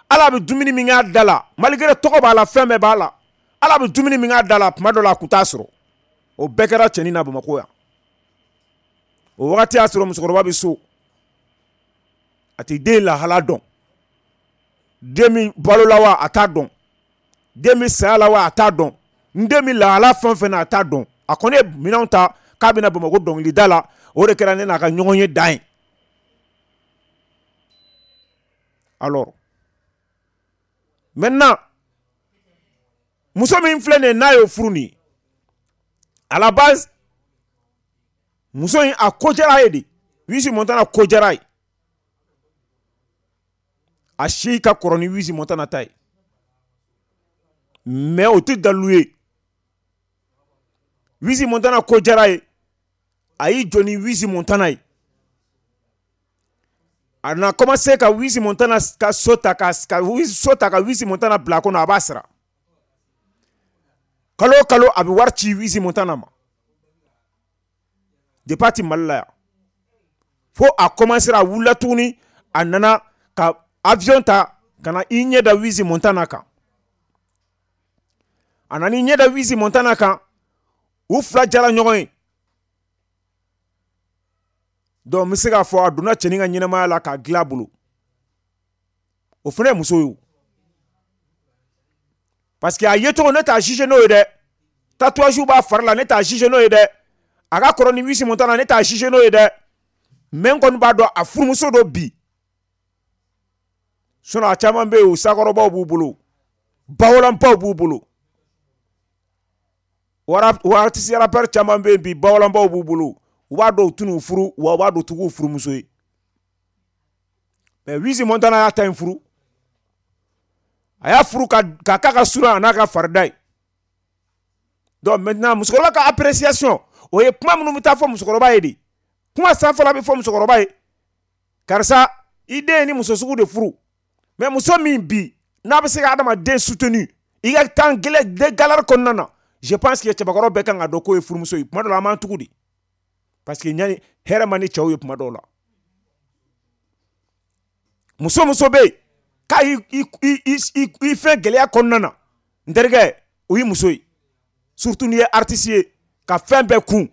Ala bɛ dumuni min k'a da la, malgré tɔgɔ b'a la, fɛn bɛɛ b'a la, ala bɛ dumuni min k'a da la, tuma dɔ la a kun t'a sɔrɔ. O bɛɛ kɛra cɛnin na Bamakɔ yan. O wagati y'a sɔrɔ musokɔrɔba bɛ so, a tɛ den lahala dɔn. Den min balo la wa, a t'a dɔn. Den min saya la wa, a t'a dɔn. N den min lahala fɛn o fɛn na, a t'a dɔn. A kɔni ye minɛnw ta k'a bɛna Bamakɔ dɔnkilida la. O de kɛra ne n'a ka ɲɔgɔn ye dan ye. Alors maintenant, muso min filɛ nin ye, n'a y'o furu nin ye, à la base muso in a ko diyara ye de. Wizi Montana ko diyara ye, a si ka kɔrɔ ni Wizi Montana ta ye, mais o tɛ dalilu ye. Wizi Montana ko diyara ye, a y'i jɔ ni Wizi Montana ye. A na commencé ka Wizi Montana ka so ta, ka so ta, ka Wizi Montana bila a kɔnɔ, a b'a sara kalo o kalo, a bɛ wari ci Wizi Montana ma depuis a ti Mali la yan. Fo a commencé, a wulila tuguni, a nana ka avion ta ka na i ɲɛ da Wizi Montana kan. A nana i ɲɛ da Wizi Montana kan, u fila jara ɲɔgɔn ye. Donc n bɛ se k'a fɔ a donna cɛnin ka ɲɛnamaya la k'a dilan a bolo. O fana ye muso ye o, parce que a yecogo, ne t'a juger n'o ye dɛ. Tatouage b'a fari la, ne t'a juger n'o ye dɛ. A ka kɔrɔ ni Wizi Montana, ne t'a juger n'o ye dɛ. Mais n kɔni b'a dɔn a furumuso dɔ bi. Sinon a caman bɛ yen, o sakɔrɔbaw b'u bolo, bawalanbaw b'u bolo, wa artiste rappeur caman bɛ yen bi, bawalanbaw b'u bolo. U b'a dɔn u tɛn'u furu, wa u b'a dɔn u t'u furumuso ye. Mais Wizi Montana y'a ta in furu, a y'a furu ka k'a ka suran a n'a ka farida ye. Donc maintenant, musokɔrɔba ka appréciation, o ye kuma minnu bɛ taa fɔ musokɔrɔba ye de. Kuma sanfɛla bɛ fɔ musokɔrɔba ye: karisa, i den ye ni muso sugu de furu. Mais muso min bi n'a bɛ se ka adamaden soutenu i ka temps gɛlɛn de galère kɔnɔna na, je pense que cɛbakɔrɔ bɛɛ kan ka dɔn k'o ye furumuso ye. Kuma dɔ la, an b'an tugu de, parce que ɲani hɛrɛ man di cɛw ye. Kuma dɔw la, muso bɛ yen k'a y'i i fɛn gɛlɛya kɔnɔna na, n terikɛ, o y'i muso ye. Surtout n'i ye artiste ye ka fɛn bɛɛ kun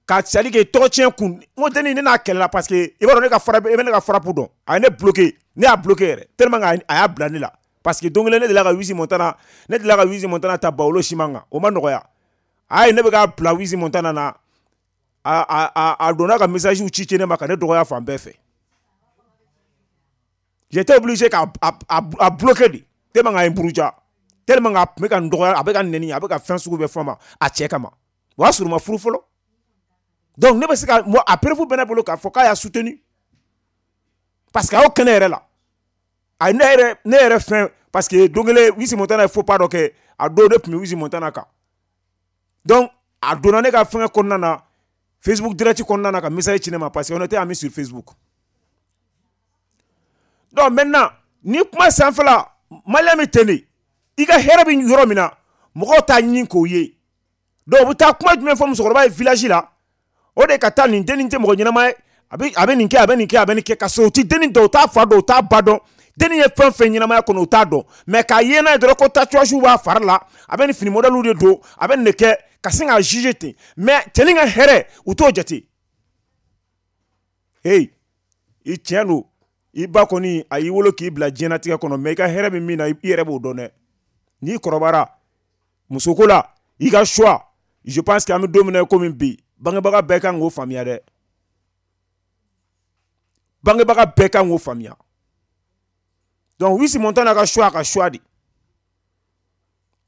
ka, c'est à dire que tɔgɔ tiɲɛ kun. N ko denni, ne n'a kɛlɛla, parce que i b'a dɔn ne ka frappe, i bɛ ne ka frappe dɔn. A ye ne bloqué, ne y'a bloqué yɛrɛ tellement que a y'a bila ne la, parce que don kelen ne delila ka Wizi Montana ta Bawolo siman kan, o ma nɔgɔya a ye. Ne bɛ k'a bila Wizi Montana na, a donna ka message ci ci ne ma ka ne dɔgɔya fan bɛɛ fɛ. J'étais obligé k'a a bloqué de, tellement k'a ye n buruja, tellement k'a tun bɛ ka n dɔgɔya, a bɛ ka nɛni, a bɛ ka fɛn sugu bɛɛ fɔ n ma a cɛ kama. O y'a sɔrɔ u ma furu fɔlɔ. Donc ne bɛ se ka, moi, a preuve bɛ ne bolo k'a fɔ k'a y'a soutenu, parce que a y'o kɛnɛ yɛrɛ la, a ye ne yɛrɛ fɛn, parce que don kelen Wizi Montana ye faux pas dɔ kɛ. A don ne tun bɛ Wizi Montana kan. Donc a donna ne ka fɛngɛ kɔnɔna na, Facebook direct kɔnɔna na, ka message ci ne ma, parce que on était amis sur Facebook. Donc maintenant, ni kuma sanfɛla, malien bɛ ten de. I ka hɛrɛ bɛ yɔrɔ min na, mɔgɔw t'a ɲini k'o ye. Donc u bɛ taa kuma jumɛn fɔ musokɔrɔba ye village la? O de ka taa nin dennin tɛ mɔgɔ ɲɛnama ye, a bɛ nin kɛ, a bɛ nin kɛ, a bɛ nin kɛ, ka sɔrɔ u ti dennin dɔn, u t'a fa dɔn, u t'a ba dɔn. Dennin ye fɛn fɛn ɲɛnamaya kɔnɔ, u t'a dɔn. Mais k'a ye n'a ye dɔrɔn ko tatouage b'a fari la, a bɛ nin fini modèle de don, a bɛ nin de kɛ, ka sin k'a juger ten. Mais cɛnin ka hɛrɛ, u t'o jate. Hey, i tiɲɛ don, i ba kɔni a y'i wolo k'i bila diɲɛlatigɛ kɔnɔ, mais i ka hɛrɛ bɛ min na, i yɛrɛ b'o dɔn dɛ. N'i kɔrɔbayara musoko la, i ka choix, je pense que an bɛ don min na i komi bi, bangebaga bɛɛ kan k'o faamuya dɛ, bangebaga bɛɛ kan k'o faamuya. Donc Wizi Montana ka choix, a ka choix de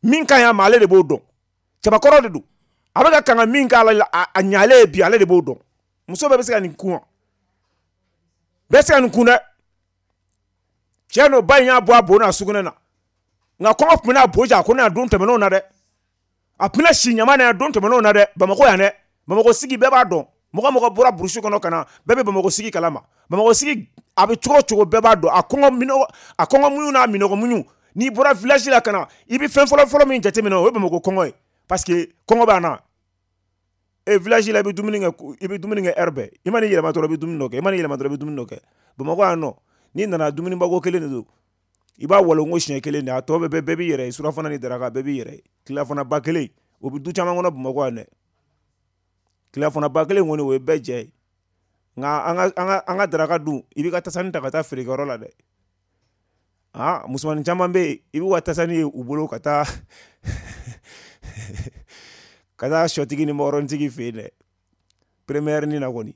min ka ɲi a ma, ale de b'o dɔn. Cɛbakɔrɔ de don, a bɛ ka kan ka min k'a la, a ɲalen ye bi, ale de b'o dɔn. Muso bɛɛ bɛ se ka nin kun wa? Bɛɛ se ka nin kun dɛ. Tiɲɛ don, ba in y'a bɔ a bo n'a sugunɛ na, nka kɔngɔ tun bɛna bo ja a ko ne a don tɛmɛnenw na dɛ. A tun bɛna si ɲama na yan don tɛmɛnenw na dɛ. Bamakɔ yan dɛ, Bamakɔ sigi bɛɛ b'a dɔn. Mɔgɔ mɔgɔ bɔra brousse kɔnɔ ka na, bɛɛ bɛ Bamakɔ sigi kalama. Bamakɔ sigi a bɛ cogo o cogo, bɛɛ b'a dɔn. A kɔngɔ minɔgɔ, a kɔngɔ muɲu n'a minɔgɔ muɲu, n'i bɔra village la ka na, i bɛ fɛn fɔlɔ fɔlɔ min jateminɛ, o ye Bamakɔ kɔngɔ ye, parce que kɔngɔ b'a na. E village la, i bɛ dumuni kɛ, i bɛ dumuni kɛ heure bɛɛ. I mana yɛlɛma dɔrɔn, i bɛ dumuni dɔ kɛ. I mana yɛlɛma dɔrɔn, i bɛ dumuni dɔ kɛ. Bamakɔ yan nɔ, n'i nana, dumunibako kelen de don, i b'a walon siɲɛ kelen de, a tɔ bɛɛ, bɛɛ b'i yɛrɛ ye. Surafana ni daraka, bɛɛ b'i yɛrɛ ye. Tilelafana ba kelen, o bɛ du caman kɔnɔ Bamakɔ yan dɛ. Tilelafana ba kelen kɔni, o ye bɛɛ jɛ ye. Nka an ka daraka dun, i b'i ka tasani ta ka taa feerekɛyɔrɔ la dɛ. Ah, musomanin caman bɛ yen, i b'u ka tasani ye u bolo ka taa sɔtigi ni makɔrɔnitigi fɛ yen dɛ, première ni na kɔni.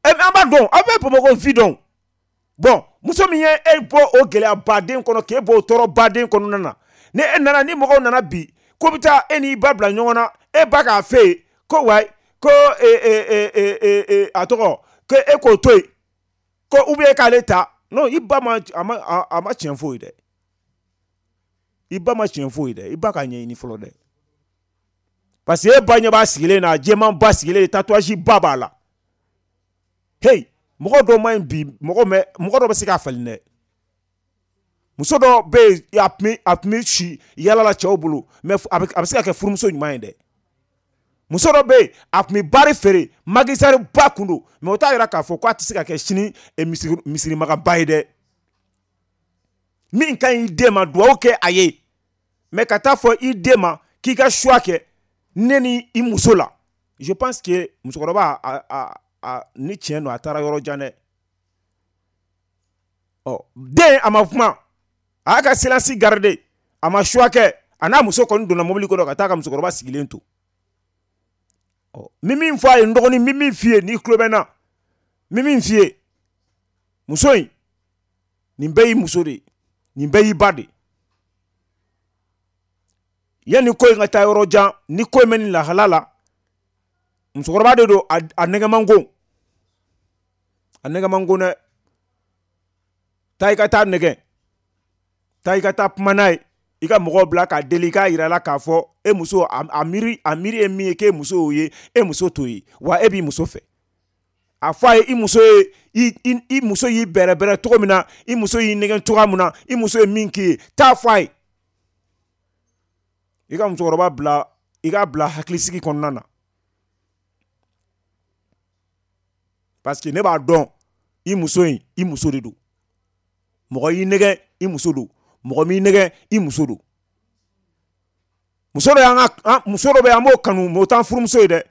Ɛ, an b'a dɔn, aw bɛ Bamakɔ fi dɔn. Bon, muso min ye e bɔ o gɛlɛya baden kɔnɔ, k'e bɔ o tɔɔrɔ baden kɔnɔna na, ni e nana, ni mɔgɔw nana bi ko bɛ taa e n'i ba bila ɲɔgɔn na, e ba k'a fɛ yen ko wayi, ko a tɔgɔ ko e k'o to yen, ko ou bien e k'ale ta. Non, i ba ma a ma a ma tiɲɛ foyi dɛ. I ba ma tiɲɛ foyi dɛ. I ba k'a ɲɛɲini fɔlɔ dɛ. Parce que e ba ɲɛ b'a sigilen na, jɛman ba sigilen, tatouage ba b'a la. Hey, mɔgɔ dɔw ma ɲi bi, mɔgɔ dɔ bɛ se k'a falen dɛ. Muso dɔ bɛ yen, a tun bɛ si yala la cɛw bolo, mais a bɛ se ka kɛ furumuso ɲuman ye dɛ. Muso dɔ bɛ yen, a tun bɛ baari feere, magisari ba kun don, mais o t'a yira k'a fɔ k'a tɛ se ka kɛ sini misirimagaba ye dɛ. Min ka ɲi i den ma, duwawu kɛ a ye, mais ka taa fɔ i den ma k'i ka choix kɛ ne ni i muso la, je pense que musokɔrɔba a ni tiɲɛ don, a taara yɔrɔ jan dɛ. Ɔ, den a ma kuma, a y'a ka silence garder, a ma choix kɛ, a n'a muso kɔni donna mobili kɔnɔ ka taa ka musokɔrɔba sigilen to. Ɔ, n bɛ min fɔ a ye, n dɔgɔnin, n bɛ min f'i ye, n'i tulo bɛ n na, n bɛ min f'i ye, muso in, nin bɛɛ y'i muso de ye, nin bɛɛ y'i ba de ye. Yanni ko in ka taa yɔrɔ jan, ni ko in bɛ nin lahala la, musokɔrɔba de don, a nɛgɛ man go, a nɛgɛ man go dɛ. Taa i ka taa nɛgɛ, taa i ka taa kuma n'a ye, i ka mɔgɔw bila k'a deli, i k'a yira la k'a fɔ e muso, a miiri ye min ye, k'e muso y'o ye, e muso t'o ye, wa e b'i muso fɛ. A fɔ a ye, i muso ye, i muso y'i bɛrɛbɛrɛ cogo min na, i muso y'i nɛgɛn cogoya min na, i muso ye min k'i ye, taa fɔ a ye. I ka musokɔrɔba bila, i k'a bila hakilisigi kɔnɔna na. Parce que ne b'a dɔn, i muso in, i muso de don. Mɔgɔ y'i nɛgɛn, i muso don. Mɔgɔ m'i nɛgɛn, i muso don. Muso dɔ y'an ka, muso dɔ bɛ yen, an b'o kanu, mais o t'an furumuso ye dɛ.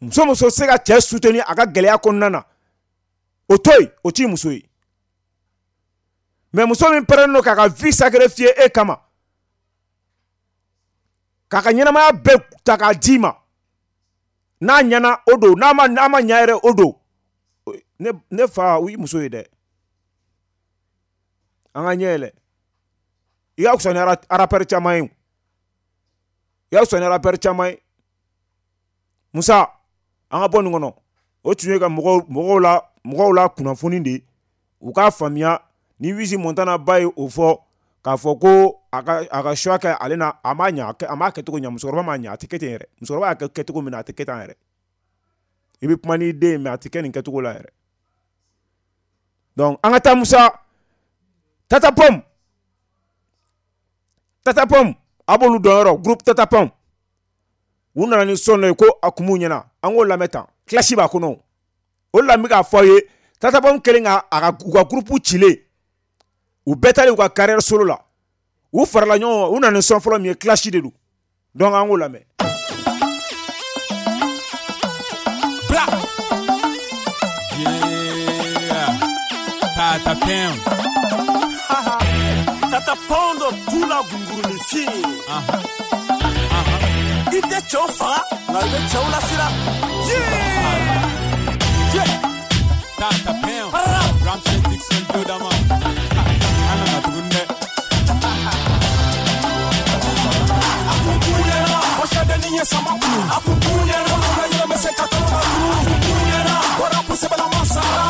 Muso se ka cɛ soutenir a ka gɛlɛya kɔnɔna na, o to yen, o t'i muso ye. Mais muso min pɛrɛnnen don k'a ka vie sacrifier e kama, k'a ka ɲɛnamaya bɛɛ ta k'a d'i ma, n'a ɲɛna o don, n'a ma ɲa yɛrɛ o don, ne fa, o y'i muso ye dɛ. An ka ɲɛ yɛlɛ. I ka fisa ni rappeur caman ye, i ka fisa ni rappeur caman ye. Musa, an ka bɔ nin kɔnɔ. O tun ye ka mɔgɔw la kunnafoni de ye, u k'a faamuya. Ni Wizi Montana ba ye o fɔ k'a fɔ ko a ka choix kɛ ale na, a m'a ɲa, a m'a kɛcogo ɲa, musokɔrɔba m'a ɲa, a tɛ kɛ ten yɛrɛ. Musokɔrɔba y'a kɛ kɛcogo min na, a tɛ kɛ tan yɛrɛ. I bɛ kuma n'i den ye, mais a tɛ kɛ nin kɛcogo la yɛrɛ. Donc an ka taa Musa. Tata Pom, Tata Pom, a b'olu dɔn yɔrɔ, groupe Tata Pom. U nana ni son dɔ ye ko a kun b'u ɲɛna, an k'o lamɛn tan, clash b'a kɔnɔ. O de la n bɛ k'a fɔ aw ye, Tata Pom kɛlen ka a ka u ka groupe cilen, u bɛɛ taalen u ka carrière solo la, u farala ɲɔgɔn kan, u nana ni son fɔlɔ min ye, clash de don. Donc an k'o lamɛn. Bla. Yeah. Tata Pom. Tata Pom tout la gunguruni fi. I tɛ cɛw faga, nka i bɛ cɛw lasira. Yeah. Tata Pom. Ramsey Dixon Dodama. An nana tuguni dɛ. A kun ɲɛna, kɔsɛdennin ye sama kunu. A kun ɲɛna, la yɛrɛ bɛ se ka kalo la tunu. A kun ɲɛna, bɔra kosɛbɛlama sara.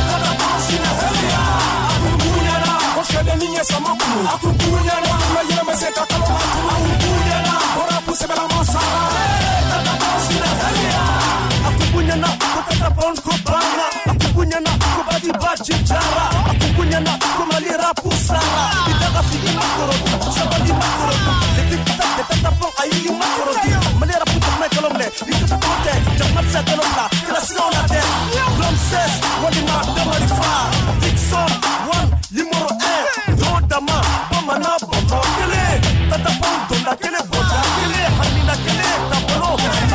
Tata Pom sinɛ hɛrɛya. A kun ɲɛna, kɔsɛdennin ye sama kunu. A kun ɲɛna, la yɛrɛ bɛ se ka kalo la tunu. A kun ɲɛna, bɔra kosɛbɛlama sara. Tata Pom sinɛ hɛrɛya. A kun ɲɛna, ko Tata Pom ko banna. A kun ɲɛna, ko baji baji jara. A kun ɲɛna, ko Mali rapu sara. I daga fili makɔrɔ, sabali makɔrɔ. Le tic-tac de Tata Pom a y'i makɔrɔ. Mali rapu jamana kalo minɛ, ni Tata Pom tɛ, jamana tɛ se kalo bila. Kɛlɛsiraw la dɛ. Ramses, walima Damari fa. Dixon, one, numéro 1. Don dama, bamanan bɔnbɔn kelen. Tata Pom donda kelen, bɔnda kelen, hamina kelen, tabolo,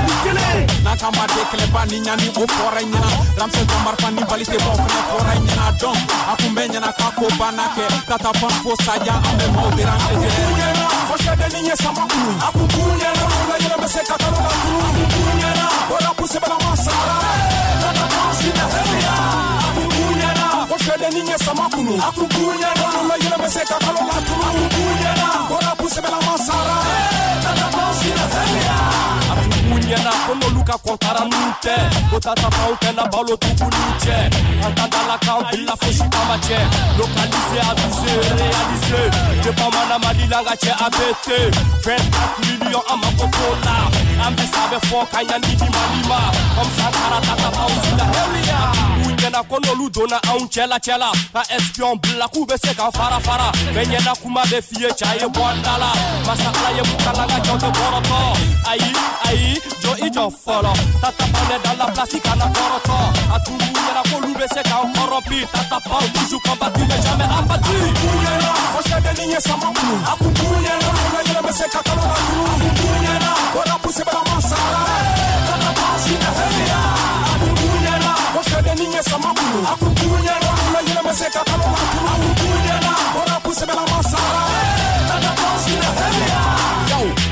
ni kelen. N'a ka ma de kɛlɛba ni ɲani o fɔra ɲɛna. Ramses Damari fa ni bali tɛ bɔ fɛnɛ fɔra ɲɛna. Donc a kun bɛ ɲɛna k'a ko banna kɛ. Tata Pom fo saya, an bɛ maaw déranger. A kun ɲɛna, kɔsɛdennin ye sama kunu. A kun ɲɛna, la yɛrɛ bɛ se ka kalo la tunu. A kun ɲɛna, bɔra kosɛbɛlama sara. Tata Pom sinɛ hɛrɛya. A kun ɲɛna, sɛdennin ye sama kunu a kun b'u ɲɛna la yɛlɛ bɛ se ka kalo la tunu a kun b'u ɲɛna ko rapu sɛbɛlama sara Tata Pound sina hɛrɛ a kun b'u ɲɛna ko n'olu ka kɔntara n'u tɛ ko Tata Pound tɛna balo tuguni cɛ an ta da la k'an bila fosi kama cɛ localisé avisé réalisé depuis mana Mali la n ka cɛ ABT 24 millions an mako t'o la an bɛ sa bɛ fɔ ka ɲani di Mali ma comme Sankara Tata Pound sina hɛrɛ u ɲɛna ko n'olu donna anw cɛla cɛla ka espion bila k'u bɛ se k'an fara fara bɛɛ ɲɛna kuma bɛ f'i ye ca ye bɔ an da la masa Ala ye mun kalan ka jɔn tɛ kɔrɔtɔ ayi ayi jɔ i jɔ fɔlɔ Tata Pound est dans la place i kana kɔrɔtɔ a tun b'u ɲɛna k'olu bɛ se k'an kɔrɔpi Tata Pound toujours combattu mais jamais abattu. A kun b'u ɲɛna ko sɛdennin ye sama kunu a kun b'u ɲɛna la yɛlɛ bɛ se ka kalo la tunu a kun b'u ɲɛna ko rapu sɛbɛlama sara Tata Pound sina hɛrɛ a kun b'u ɲɛna ko sɛdennin ye sama kunu a kun b'u ɲɛna la yɛlɛ bɛ se ka kalo la tunu a kun b'u ɲɛna ko rapu sɛbɛlama sara Tata Pound sina hɛrɛ.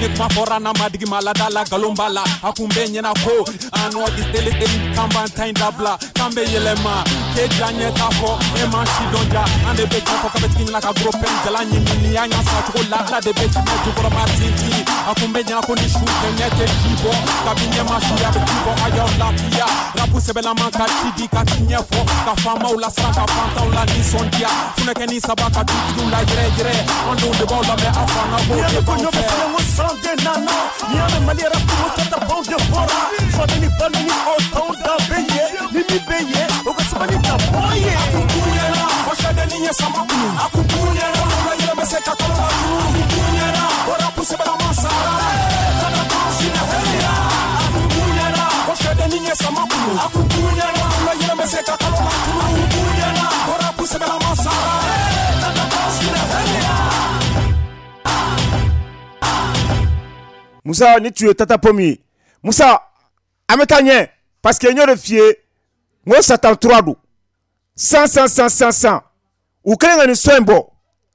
Ni kuma fɔra n'a ma digi ma lada la nkalon b'a la a kun bɛ ɲɛna ko an nɔ tele teli k'an b'an ta in dabila k'an bɛ yɛlɛma k'e ja ɲɛ t'a fɔ e ma si dɔn ja an de bɛ kan fɔ k'a bɛ tigi ɲɛna ka gros pɛn jala ɲimi ni y'a ɲɛ sa cogo la ala de bɛ tiɲɛ jukɔrɔma tintin a kun bɛ ɲɛna ko ni su tɛ ɲɛ tɛ ji bɔ kabi ɲɛ ma su a bɛ ji bɔ a y'aw lafiya rapu sɛbɛlama ka ci di ka ci ɲɛfɔ ka faamaw lasiran ka fantanw la nisɔndiya funɛkɛni saba ka dutigiw la yɛrɛ yɛrɛ an denw de b'aw lamɛn aw fana b'o de b'anw fɛ. Sande nana ni ame Mali rapu Tata Pound de bɔra fadeni balini o tɔw da bɛ ye ni min bɛ ye o ka sabali ka bɔ ye. A kun b'u ɲɛna ko sɛdennin ye sama kunu a kun b'u ɲɛna la yɛlɛ bɛ se ka kalo la tunu a kun b'u ɲɛna ko rapu sɛbɛlama sara Tata Pound sina hɛrɛ a kun b'u ɲɛna ko sɛdennin ye sama kunu a kun b'u ɲɛna la yɛlɛ bɛ se ka kalo la tunu a kun b'u ɲɛna ko rapu sɛbɛlama sara Tata Pound sina hɛrɛ. Musa ni tu ye Tata Pound ye Musa an bɛ taa ɲɛ parce que n y'o de f'i ye n ko Satan 3 don 100 100 100 100 100 u kɛlen ka nin son in bɔ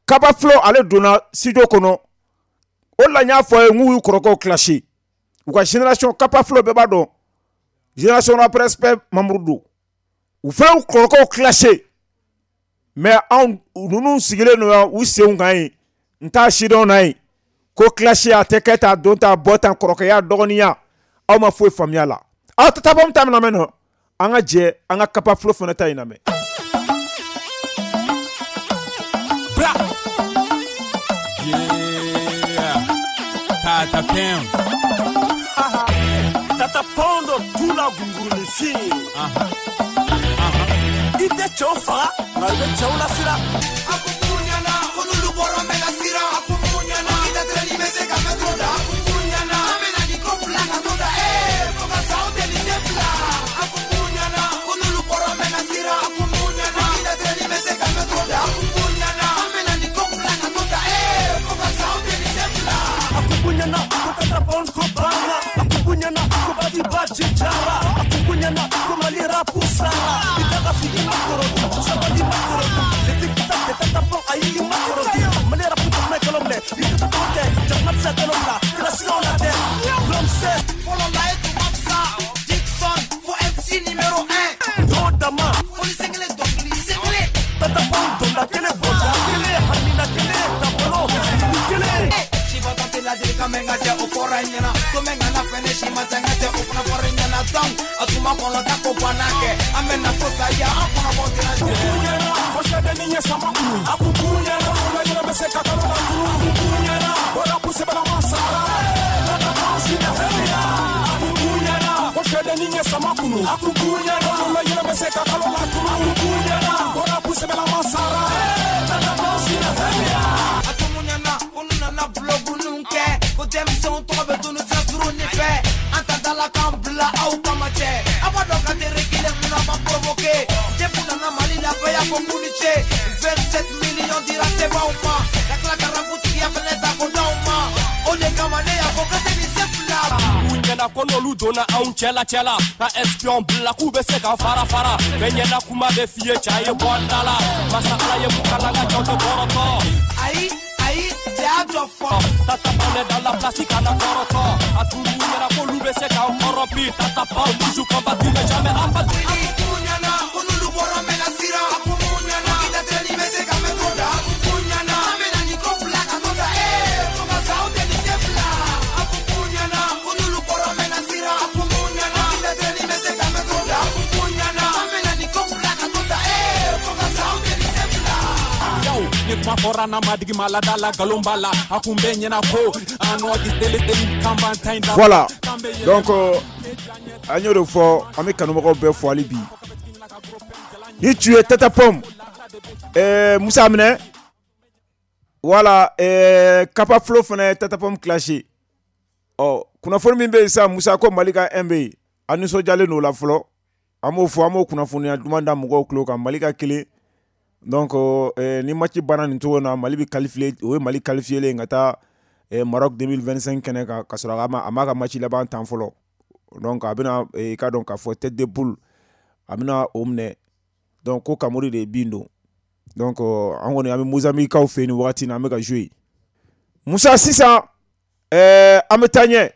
Kaba Flow ale donna studio kɔnɔ o de la n y'a fɔ a ye n k'u y'u kɔrɔkɛw clashé u ka génération Kaba Flow bɛɛ b'a dɔn génération rap respect membre don u fana y'u kɔrɔkɛw clashé mais anw ninnu sigilen don yan u senw kan yen n t'a sidɔn na yen ko clash a tɛ kɛ tan don tan bɔ tan kɔrɔkɛya dɔgɔninya aw ma foyi faamuya la aw Tata Pound ta min lamɛn nɔ an ka jɛ an ka Kaba Flow fana ta in lamɛn. Bra. Yeah. Tata Pound. Tata Pound tula gunguruni fi. I tɛ cɛw faga nka i bɛ cɛw lasira. A kun b'u ɲɛna ko n'olu bɔra n bɛ na siran. A kun b'u ɲɛna i tɛ tɛrɛni bɛ se ka mɛtɛrɛ da. A kun b'u ɲɛna an bɛ na ni ko fila ka to da. Fo ka sa o tɛ ni se fila. A kun b'u ɲɛna ko n'olu bɔra n bɛ na siran. A kun b'u ɲɛna i tɛ tɛrɛni bɛ se ka mɛtɛrɛ da. A kun b'u ɲɛna an bɛ na ni ko fila ka to da. Fo ka sa o tɛ ni se fila. A kun b'u ɲɛna ko Tata Pound ko banna. A kun b'u ɲɛna ko baji baji jara. A kun b'u ɲɛna ko Mali rapu sara. I da ka fili ma kɔrɔtu sabali ma kɔrɔtu. Ne tɛ Tata Pound ayi i ma kɔrɔtu. Mali rapu jamana kalo minɛ i tɛ tɔgɔ tɛ jamana tɛ se kalo bila kilasiw la tɛ. L'homme sait. Fɔlɔ la e tun ma fisa Dixon fo MC numéro 1. Dɔw dama. Foli sen kelen dɔnkili sen kelen. Tata Pound donda kelen bɔja kelen hamina kelen tabolo fili kelen. Sibatɔ tɛ ladilikan mɛn ka jɛ o fɔra i ɲɛna. Ko mɛn kana fɛnɛ si ma jan ka jɛ o fana fɔra i ɲɛna. Donc a tun ma kɔnɔ ta ko banna kɛ an bɛ na fo saya an kɔnɔ bɔ tɛna jɛ. Ko sɛdennin ye sama kunu a kun b'u ɲɛna la yɛlɛ bɛ se ka kalo la tunu a kun b'u ɲɛna ko rapu sɛbɛlama sara Tata Pound sina hɛrɛ a kun b'u ɲɛna ko sɛdennin ye sama kunu a kun b'u ɲɛna la yɛlɛ bɛ se ka kalo la tunu a kun b'u ɲɛna ko rapu sɛbɛlama sara Tata Pound sina hɛrɛ. A tun b'u ɲɛna ko n'u nana bulɔgunu kɛ ko denmisɛnw tɔgɔ bɛ dunu sira surun fɛ an ta da la k'an bila aw kama cɛ a b'a dɔn k'an tɛ reculer mun na b'an provoquer depuis nana Mali la bɛɛ y'a fɔ k'u ni ce 27 millions dira sebaw ma ka tila ka raputigiya fɛnɛ ta ko d'aw ma o de kama ne y'a fɔ k'an tɛ nin se fila. U ɲɛna ko n'olu donna anw cɛla cɛla ka espion bila k'u bɛ se k'an fara fara bɛɛ ɲɛna kuma bɛ f'i ye ca ye bɔ an da la masa Ala ye mun kalan ka jɔn tɛ kɔrɔtɔ. Ayi ayi cɛ y'a jɔ fɔlɔ. Tata Pound est dans la place i kana kɔrɔtɔ a tun b'u ɲɛna k'olu bɛ se k'an kɔrɔpi Tata Pound toujours combattu mais jamais abattu. A kun b'u ɲɛna ko n'olu bɔra n bɛ na siran. A kun b'u ɲɛna Kuma fɔra n'a ma digi maa la da la nkalon b'a la a kun bɛ ɲɛna ko an nɔ deli deli kan b'an ta in da. Voilà, donc an y'o de fɔ, an bɛ kanubagaw bɛɛ fo hali bi. Ni tu es Tata Pomme, Musa minɛ. Voilà, Kapa Flo fana ye Tata Pomme clashé. Ɔ kunnafoni min bɛ yen sisan, Musa, ko Mali ka 1 bɛ yen, an nisɔndiyalen don o la fɔlɔ. An b'o fɔ, an b'o kunnafoniya duman da mɔgɔw tulo kan, Mali ka kelen. Donc ni match banna nin cogo in na, Mali bɛ qualifié, o ye Mali qualifié len ka taa Maroc 2025 kɛnɛ kan, ka sɔrɔ a m'a ka match laban tan fɔlɔ. Donc a bɛna i ka dɔn k'a fɔ tête de poule, a bɛna o minɛ. Donc ko Kamori de ye bin don. Donc an kɔni an bɛ Mozambique kaw fɛ yen nin wagati in na, an bɛ ka jouer. Musa, sisan an bɛ taa ɲɛ.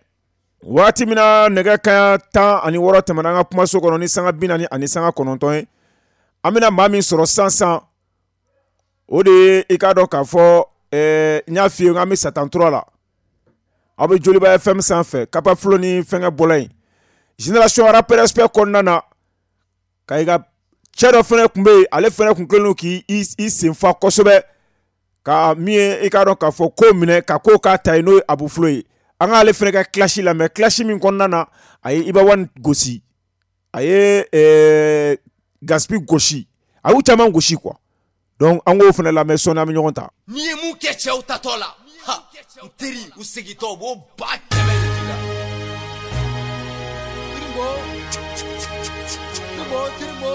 Waati min na nɛgɛ kanɲɛ 16 tɛmɛna an ka kumaso kɔnɔ ni sanga 49 ye, an bɛna maa min sɔrɔ sisan, o de ye i k'a dɔn k'a fɔ n y'a f'i ye k'an bɛ Satan 3 la. Aw bɛ Joliba FM sanfɛ, Kapa Flo ni fɛnkɛ bɔla yen. Génération Rap Respect kɔnɔna na, ka i ka cɛ dɔ fana tun bɛ yen, ale fana tun kɛlen don k'i sen fa kosɛbɛ, ka min ye i k'a dɔn k'a fɔ ko minɛ ka ko k'a ta ye, n'o ye Abu Flo ye. An k'ale fana ka clash lamɛn, clash min kɔnɔna na a ye Iba One gosi, a ye Gaspi gosi, a y'u caman gosi quoi. Donc an k'o fana lamɛn, sɔɔni an bɛ ɲɔgɔn ta. N'i ye mun kɛ cɛw tatɔ la, ha, n teri, u segintɔ u b'o 100 000 de k'i la. Tirimbo, tirimbo, tirimbo.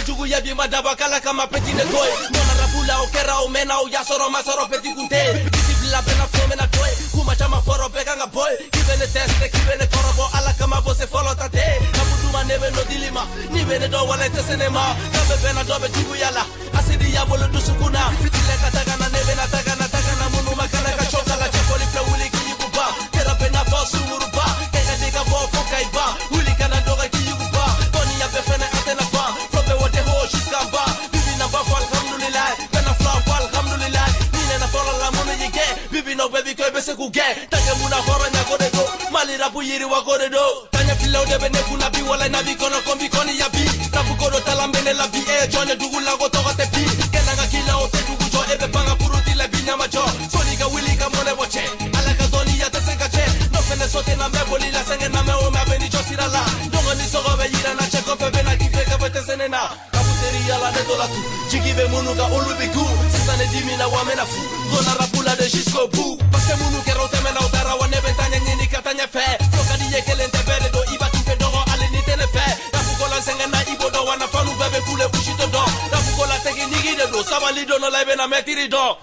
Juguya bi ma dabɔ kala kama petit de toy nɔnɔ rapu la o kɛra o mɛnna o y'a sɔrɔ ma sɔrɔ petit kun tɛ biti bila bɛɛ na fɔ mɛna to ye kuma caman fɔrɔ bɛɛ kan ka bɔ ye k'i bɛ ne teste k'i bɛ ne kɔrɔbɔ ala kama bɔ se fɔlɔ ta tɛ rapu duma ne bɛ nɔ dili ma n'i bɛ ne dɔn wala i tɛ se ne ma kan bɛ bɛn na dɔ bɛ juguya la asidi y'a bolo dusukun na fitilɛ ka taga na ne bɛ na taga na taga na minnu ma kana ka cɔ kala cɛfɔli filɛ wuli k'i yuguba kɛra bɛ n'a fɔ sunguruba kɛ ka di ka bɔ fo ka i ban wuli kana dɔgɔ k'i yuguba dɔnniya bɛɛ fɛnɛ a tɛna ban jusqu'en bas bibi na b'a fɔ alhamdulilayi bɛna fila fɔ alhamdulilayi ni nana fɔlɔ la minnu y'i gɛn bibi n'aw bɛɛ b'i kɛ i bɛ se k'u gɛn tankɛ mun na hɔrɔnya ko de don Mali rapu yiriwa ko de don taɲɛ filaw de bɛ ne kunna bi wala na bi kɔnɔ ko n bi kɔni ya bi rapu ko dɔ talan bɛ ne la bi e ye jɔn ye dugu la ko tɔgɔ tɛ bi kɛnɛ ka k'i la o tɛ dugu jɔ e bɛ ban ka puruti la bi ɲama jɔ sɔnni ka wuli ka mɔnɛ bɔ cɛ ala ka dɔnniya tɛ se ka cɛ n'o fɛnɛ so tɛ na n bɛ boli la sɛgɛn na mɛ o mɛ a bɛ ni jɔ sira la ɲɔgɔn ni sɔgɔ bɛ yira na cɛ kɔfɛ bɛ na k'i fɛ ka bɛ tɛ se ne na yala ne tola tu jigi bɛ minnu kan olu bɛ ku sisan ne dimina wa n bɛna fu donna rapu la de jusqu'au bout parce que minnu kɛra o tɛmɛna o taara wa ne bɛ taa ɲɛɲini ka taa ɲɛfɛ fo ka di ye kelen tɛ bɛɛ de don i b'a tun tɛ dɔgɔ hali ni tɛ ne fɛ rapu ko la n sɛgɛnna i b'o dɔn wa nafanu bɛɛ bɛ kule kusi tɛ dɔn rapu ko la tɛkiniki de don sabali don dɔ la i bɛna mɛtiri dɔn.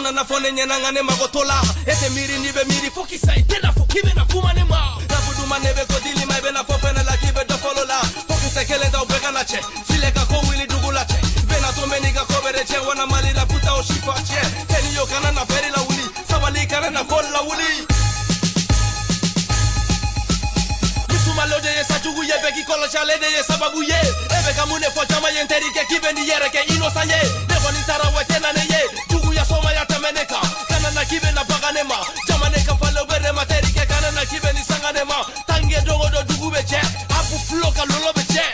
Nana fɔ ne ɲɛna nka ne mago t'o la e tɛ miiri n'i bɛ miiri fo k'i sa i tɛna fɔ k'i bɛna kuma ne ma rapu duma ne bɛ ko dili ma i bɛna fɔ fɛnɛ la k'i bɛ dɔ fɔlɔ la fo kisɛ kelen t'aw bɛɛ kana cɛ filɛ ka ko wuli dugu la cɛ bɛna to bɛ n'i ka ko bɛɛ de cɛ wana Mali la puta o si fa tiɲɛ tɛni yo kana na bɛri la wuli sabali kana na ko la wuli misumalo de ye sajugu ye bɛɛ k'i kɔlɔsi ale de ye sababu ye e bɛ ka mun de fɔ caman ye n terikɛ k'i bɛ n'i yɛrɛ kɛ innocent ye ne kɔni taara wa tɛ na ne ye juguya sɔmaya tɛmɛ ne kan kana na k'i bɛ na bagan ne ma jama ne ka falen bɛ ne ma terikɛ kana na k'i bɛ ni sanga ne ma tange dogo dɔ dugu bɛ cɛ Abu Flo ka lolo bɛ cɛ.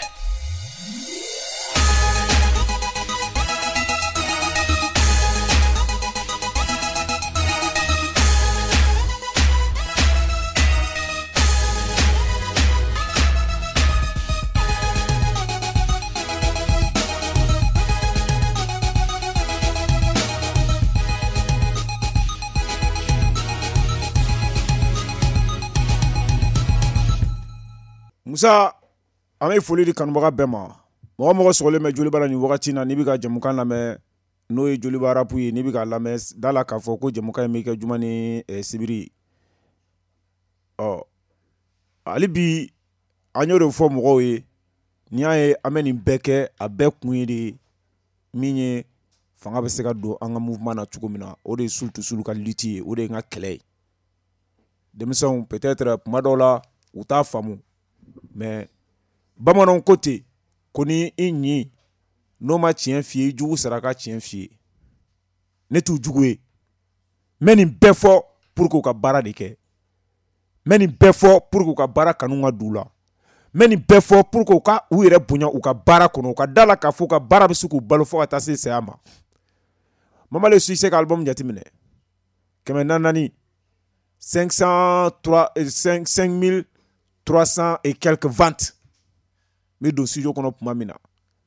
Musa, an bɛ foli di kanubaga bɛɛ ma. Mɔgɔ mɔgɔ sɔgɔlen bɛ Joliba la nin wagati na, n'i bɛ ka jamukan lamɛn, n'o ye Joliba rap ye, n'i bɛ k'a lamɛn, da la k'a fɔ ko jamukan in bɛ kɛ juma ni sibiri. Ɔ hali bi an y'o de fɔ mɔgɔw ye, n'i y'a ye an bɛ nin bɛɛ kɛ, a bɛɛ kun ye de min ye fanga bɛ se ka don an ka mouvement na cogo min na. O de ye Soul to Soul ka lutte ye, o de ye n ka kɛlɛ ye. Denmisɛnw, peut-être kuma dɔw la u t'a faamu, mais bamananw ko ten ko ni i ɲin n'o ma tiɲɛ f'i ye, i jugu sara ka tiɲɛ f'i ye. Ne t'u jugu ye, n bɛ nin bɛɛ fɔ pour que u ka baara de kɛ, n bɛ nin bɛɛ fɔ pour que u ka baara kanu ka don u la, n bɛ nin bɛɛ fɔ pour que u ka u yɛrɛ bonya u ka baara kɔnɔ, u ka da la k'a fɔ u ka baara bɛ se k'u balo fo ka taa se saya ma. Mama Le Succès ka album jateminɛ, 400, 503, 5300 et quelques ventes. N bɛ don studio kɔnɔ tuma min na,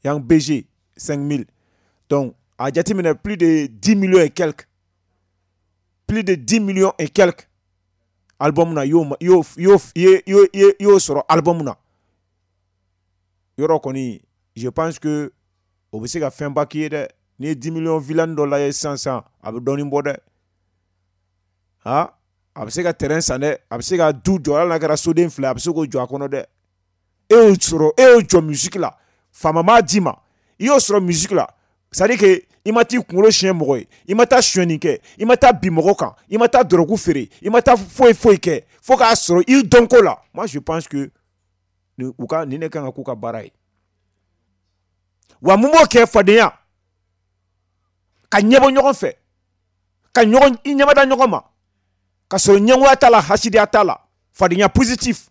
Yang BG 5000. Donc a jateminɛ, plus de 10 millions et quelques, plus de 10 millions et quelques album na, y'o y'o y'o y'o sɔrɔ album na. Yɔrɔ kɔni, je pense que o bɛ se ka fɛnba k'i ye dɛ. N'i ye 10 millions villani dɔ lajɛ sisan sisan, a bɛ dɔɔnin bɔ dɛ. Ha, a bɛ se ka terrain san dɛ, a bɛ se ka du jɔ, hali n'a kɛra soden 2, a bɛ se k'o jɔ a kɔnɔ dɛ. E y'o sɔrɔ, e y'o jɔ musique la, faama m'a d'i ma, i y'o sɔrɔ musique la. C'est à dire que i ma t'i kunkolo siɲɛ mɔgɔ ye, i ma taa sonyɛni kɛ, i ma taa bin mɔgɔ kan, i ma taa dɔrɔgu feere, i ma taa foyi foyi kɛ fo k'a sɔrɔ i dɔnko la. Moi, je pense que u ka nin de kan ka k'u ka baara ye. Wa mun b'o kɛ? Fadenya, ka ɲɛbɔ ɲɔgɔn fɛ, ka ɲɔgɔn i ɲɛmada ɲɔgɔn ma, ka sɔrɔ ɲɛngoya t'a la, hasidiya t'a la, fadenya positif.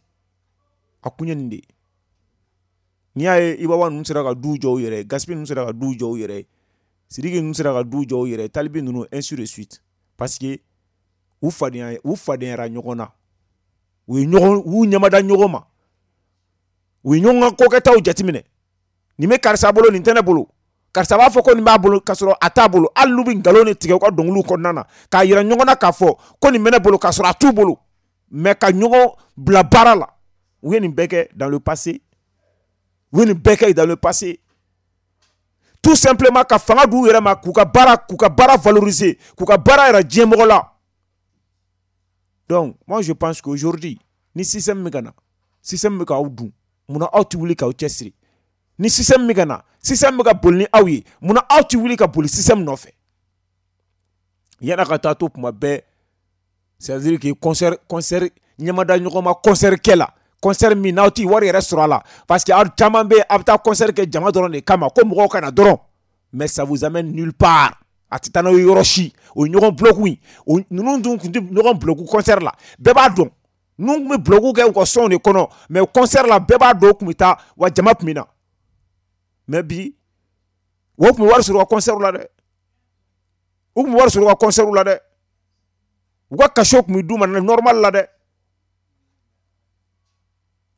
A kun ye nin de ye. N'i y'a ye Ibawa ninnu sera ka du jɔ u yɛrɛ ye, Gaspi ninnu sera ka du jɔ u yɛrɛ ye, Sidiki ninnu sera ka du jɔ u yɛrɛ ye, Talibi ninnu, ainsi de suite, parce que u fadenya, u fadenyara ɲɔgɔn na, u ye ɲɔgɔn, u ɲɛmada ɲɔgɔn ma, u ye ɲɔgɔn ka kokɛtaw jateminɛ. Nin bɛ karisa bolo, nin tɛ ne bolo. Karisa b'a fɔ ko nin b'a bolo k'a sɔrɔ a t'a bolo. Hali n'u bɛ nkalon de tigɛ u ka dɔnkiliw kɔnɔna na k'a yira ɲɔgɔn na k'a fɔ ko nin bɛ ne bolo k'a sɔrɔ a t'u bolo, mais ka ɲɔgɔn bila baara la. U ye nin bɛɛ kɛ dans le passé, u ye nin bɛɛ kɛ dans le passé, tout simplement ka fanga d'u yɛrɛ ma, k'u ka baara valoriser, k'u ka baara yɛrɛ diɲɛmɔgɔ la. Donc moi, je pense qu'aujourd'hui, ni système min ka na, système bɛ k'aw dun, munna aw tɛ wuli k'aw cɛsiri? Ni système min ka na, système bɛ ka boli ni aw ye, munna aw tɛ wuli ka boli système nɔfɛ? Yan'a ka taa to kuma bɛɛ, c'est à dire que concert ɲɛmada ɲɔgɔn ma, concert kɛ la, concert min n'aw t'i wari yɛrɛ sɔrɔ a la, parce que aw caman bɛ yen, a bɛ taa concert kɛ jama dɔrɔn de kama, ko mɔgɔw ka na dɔrɔn, mais ça vous amène nulle part. A tɛ taa n'aw ye yɔrɔ si. O ye ɲɔgɔn bloc in o. Ninnu dun tun tɛ ɲɔgɔn bloc concert la, bɛɛ b'a dɔn. Ninnu tun bɛ bloc kɛ u ka sonw de kɔnɔ, mais concert la, bɛɛ b'a dɔn u tun bɛ taa wa jama tun bɛ na. Mais bi, o tun bɛ wari sɔrɔ u ka concert la dɛ, u tun bɛ wari sɔrɔ u ka concert la dɛ, u ka cachet tun bɛ d'u ma normal la dɛ.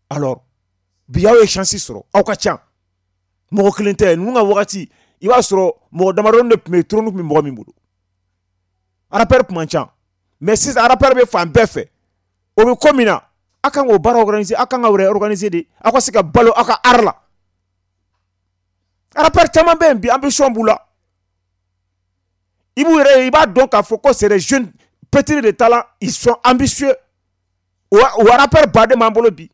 Alors bi, aw ye chance sɔrɔ, aw ka ca, mɔgɔ kelen tɛ. Ninnu ka wagati, i b'a sɔrɔ mɔgɔ damadɔni de tun bɛ yen, trône tun bɛ mɔgɔ min bolo, rappeur tun man ca. Mais sisan, rappeur bɛ fan bɛɛ fɛ. O bɛ ko min na, a kan k'o baara organiser, aw kan ka yɛrɛ organiser de, aw ka se ka balo aw ka art la. Rappeur caman bɛ yen bi, ambition b'u la, i b'u yɛrɛ ye, i b'a dɔn k'a fɔ ko c'est des jeunes pétris de talent, ils sont ambitieux. O rappeur baden b'an bolo bi.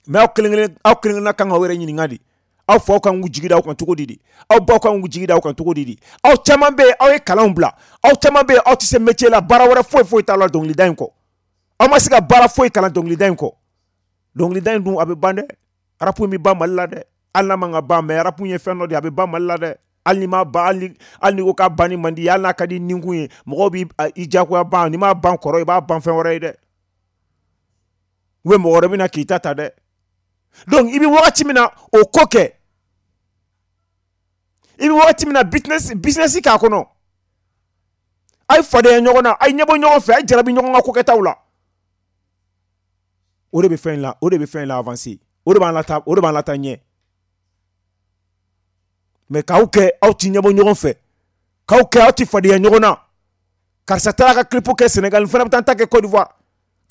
Mais aw kelen kelen, aw kelen kelenna kan k'aw yɛrɛ ɲininka de: aw faw kan k'u jigi da aw kan cogo di de? Aw baw kan k'u jigi da aw kan cogo di de? Aw caman bɛ yen, aw ye kalanw bila, aw caman bɛ yen, aw tɛ se métier la, baara wɛrɛ foyi foyi t'a la dɔnkilida in kɔ. Aw ma se ka baara foyi kalan dɔnkilida in kɔ. Dɔnkilida in dun, a bɛ ban dɛ. Rap in bɛ ban Mali la dɛ, hali n'a man ka ban, mais rap ye fɛn dɔ de ye, a bɛ ban Mali la dɛ. Hali ni ma ban, hali ni ko k'a banni man di, hali n'a ka di ninkun ye, mɔgɔw b'i i diyagoya ban. N'i m'a ban kɔrɔ, i b'a ban fɛn wɛrɛ ye dɛ, ou bien mɔgɔ wɛrɛ bɛ na k'i ta ta dɛ. Donc i bɛ wagati min na o ko kɛ, i bɛ wagati min na business k'a kɔnɔ, a ye fadenya ɲɔgɔn na, a ye ɲɛbɔ ɲɔgɔn fɛ, a ye jarabi ɲɔgɔn ka kokɛtaw la. O de bɛ fɛn in la, o de bɛ fɛn in la avancer, o de b'an lata, o de b'an lata ɲɛ. Mais k'aw kɛ aw ti ɲɛbɔ ɲɔgɔn fɛ, k'aw kɛ aw ti fadenya ɲɔgɔn na, karisa taara ka clip kɛ Sénégal, n fana bɛ taa n ta kɛ Côte d'Ivoire.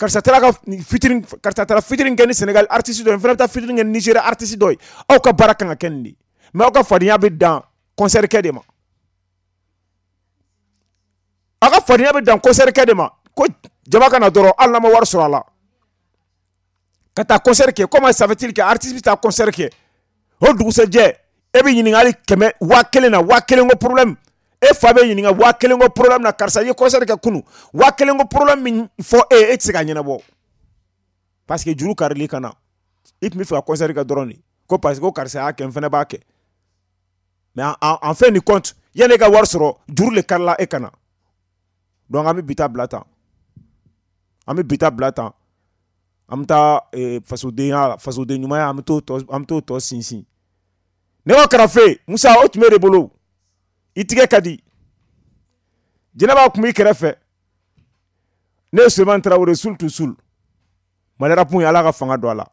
Karisa taara ka featuring, karisa taara featuring kɛ ni Sénégal artiste dɔ ye, n fana bɛ taa featuring kɛ ni Nigeria artiste dɔ ye. Aw ka baara kan ka kɛ nin de ye, mais aw ka fadenya bɛ dan concert kɛ de ma. Aw ka fadenya bɛ dan concert kɛ de ma, ko jama ka na dɔrɔn, hali n'a ma wari sɔrɔ a la, ka taa concert kɛ. Comment ça fait-il que artiste bɛ taa concert kɛ, o dugusɛjɛ e bɛ ɲininka hali kɛmɛ 1000 na, 1000 ko problème, e fa bɛ ɲininka 1000 ko problème na, karisa i ye concert kɛ kunun, 1000 ko problème min fɔ e, e tɛ se ka ɲɛnabɔ, parce que juru karili ka na, i tun bɛ fɛ ka concert kɛ dɔrɔn de, ko parce que ko karisa y'a kɛ, n fana b'a kɛ. Mais en fin de compte, yanni e ka wari sɔrɔ, juru de karila e ka na. Donc an bɛ bi ta bila tan, an bɛ bi ta bila tan, an bɛ taa fasodenya, fasoden ɲumanya, an bɛ t'o tɔ, an bɛ t'o tɔ sinsin. Ne ka karafe Musa, o tun bɛ de bolo, i tigɛ ka di. Jɛnɛba tun b'i kɛrɛfɛ. Ne ye Sulemani Tarawele, sul tu sul. Mali rap ye, Ala ka fanga don a la.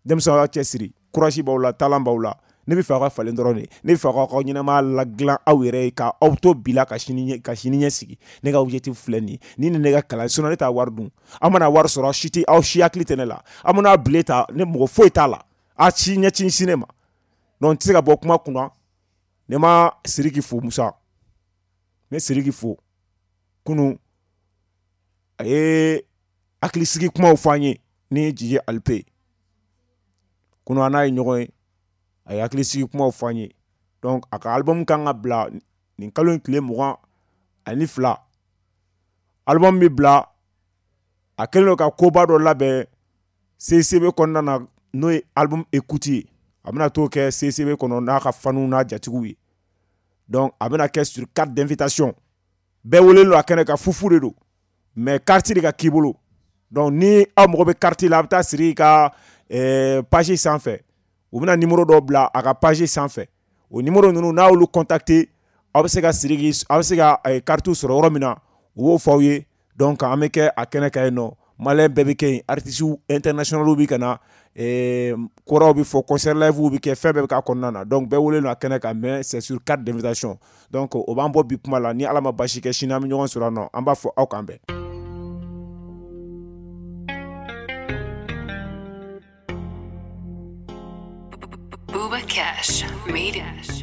Denmisɛnw, aw cɛ siri, courage b'aw la, talent b'aw la. Ne bɛ fɛ aw ka falen dɔrɔn de. Ne bɛ fɛ aw ka ɲɛnamaya ladilan aw yɛrɛ ye, ka aw to bi la, ka sini ka sini ɲɛ sigi. Ne ka objectif filɛ nin ye. Ni ne ka kalan, sinon ne t'a wari dun. Aw mana wari sɔrɔ, aw si tɛ, aw si hakili tɛ ne la. Aw mana bile ta, ne mɔgɔ foyi t'a la. A si ɲɛ ci ne ma. Donc n tɛ se ka bɔ kuma kunna. Ne ma Sidiki fo, Musa. Ne Sidiki fo. Kunun a ye hakilisigi kumaw fɔ an ye ni Jiji Alipe. Kunun an n'a ye ɲɔgɔn ye, a ye hakilisigi kumaw fɔ an ye. Donc a ka album kan ka bila nin kalo in tile 22. Album bɛ bila, a kɛlen don ka koba dɔ labɛn CCB kɔnɔna na, n'o ye album écoute ye. A bɛna t'o kɛ CCB kɔnɔ n'a ka faniw n'a jatigiw ye. Donc a bɛna kɛ sur carte d'invitation. Bɛɛ welelen don a kɛnɛ kan, fufu de don, mais carte de ka k'i bolo. Donc ni aw mago bɛ carte la, a bɛ taa Sidiki ka page sanfɛ. U bɛna numéro dɔ bila a ka page sanfɛ. O numéro ninnu, n'a y'olu contacter, aw bɛ se ka Sidiki, aw bɛ se ka carte sɔrɔ yɔrɔ min na, u b'o fɔ aw ye. Donc an bɛ kɛ a kɛnɛ kan yen nɔ. Malien bɛɛ bɛ kɛ yen, artistes internationaux bɛ ka na, kɔrɔw bɛ fɔ, concert live bɛ kɛ, fɛn bɛɛ bɛ k'a kɔnɔna na. Donc bɛɛ welelen don a kɛnɛ kan, mais c'est sur carte d'invitation. Donc o b'an bɔ bi kuma la. Ni Ala ma basi kɛ, sini an bɛ ɲɔgɔn sɔrɔ yan nɔ. An b'a fɔ aw k'an bɛn. Booba Cash made it.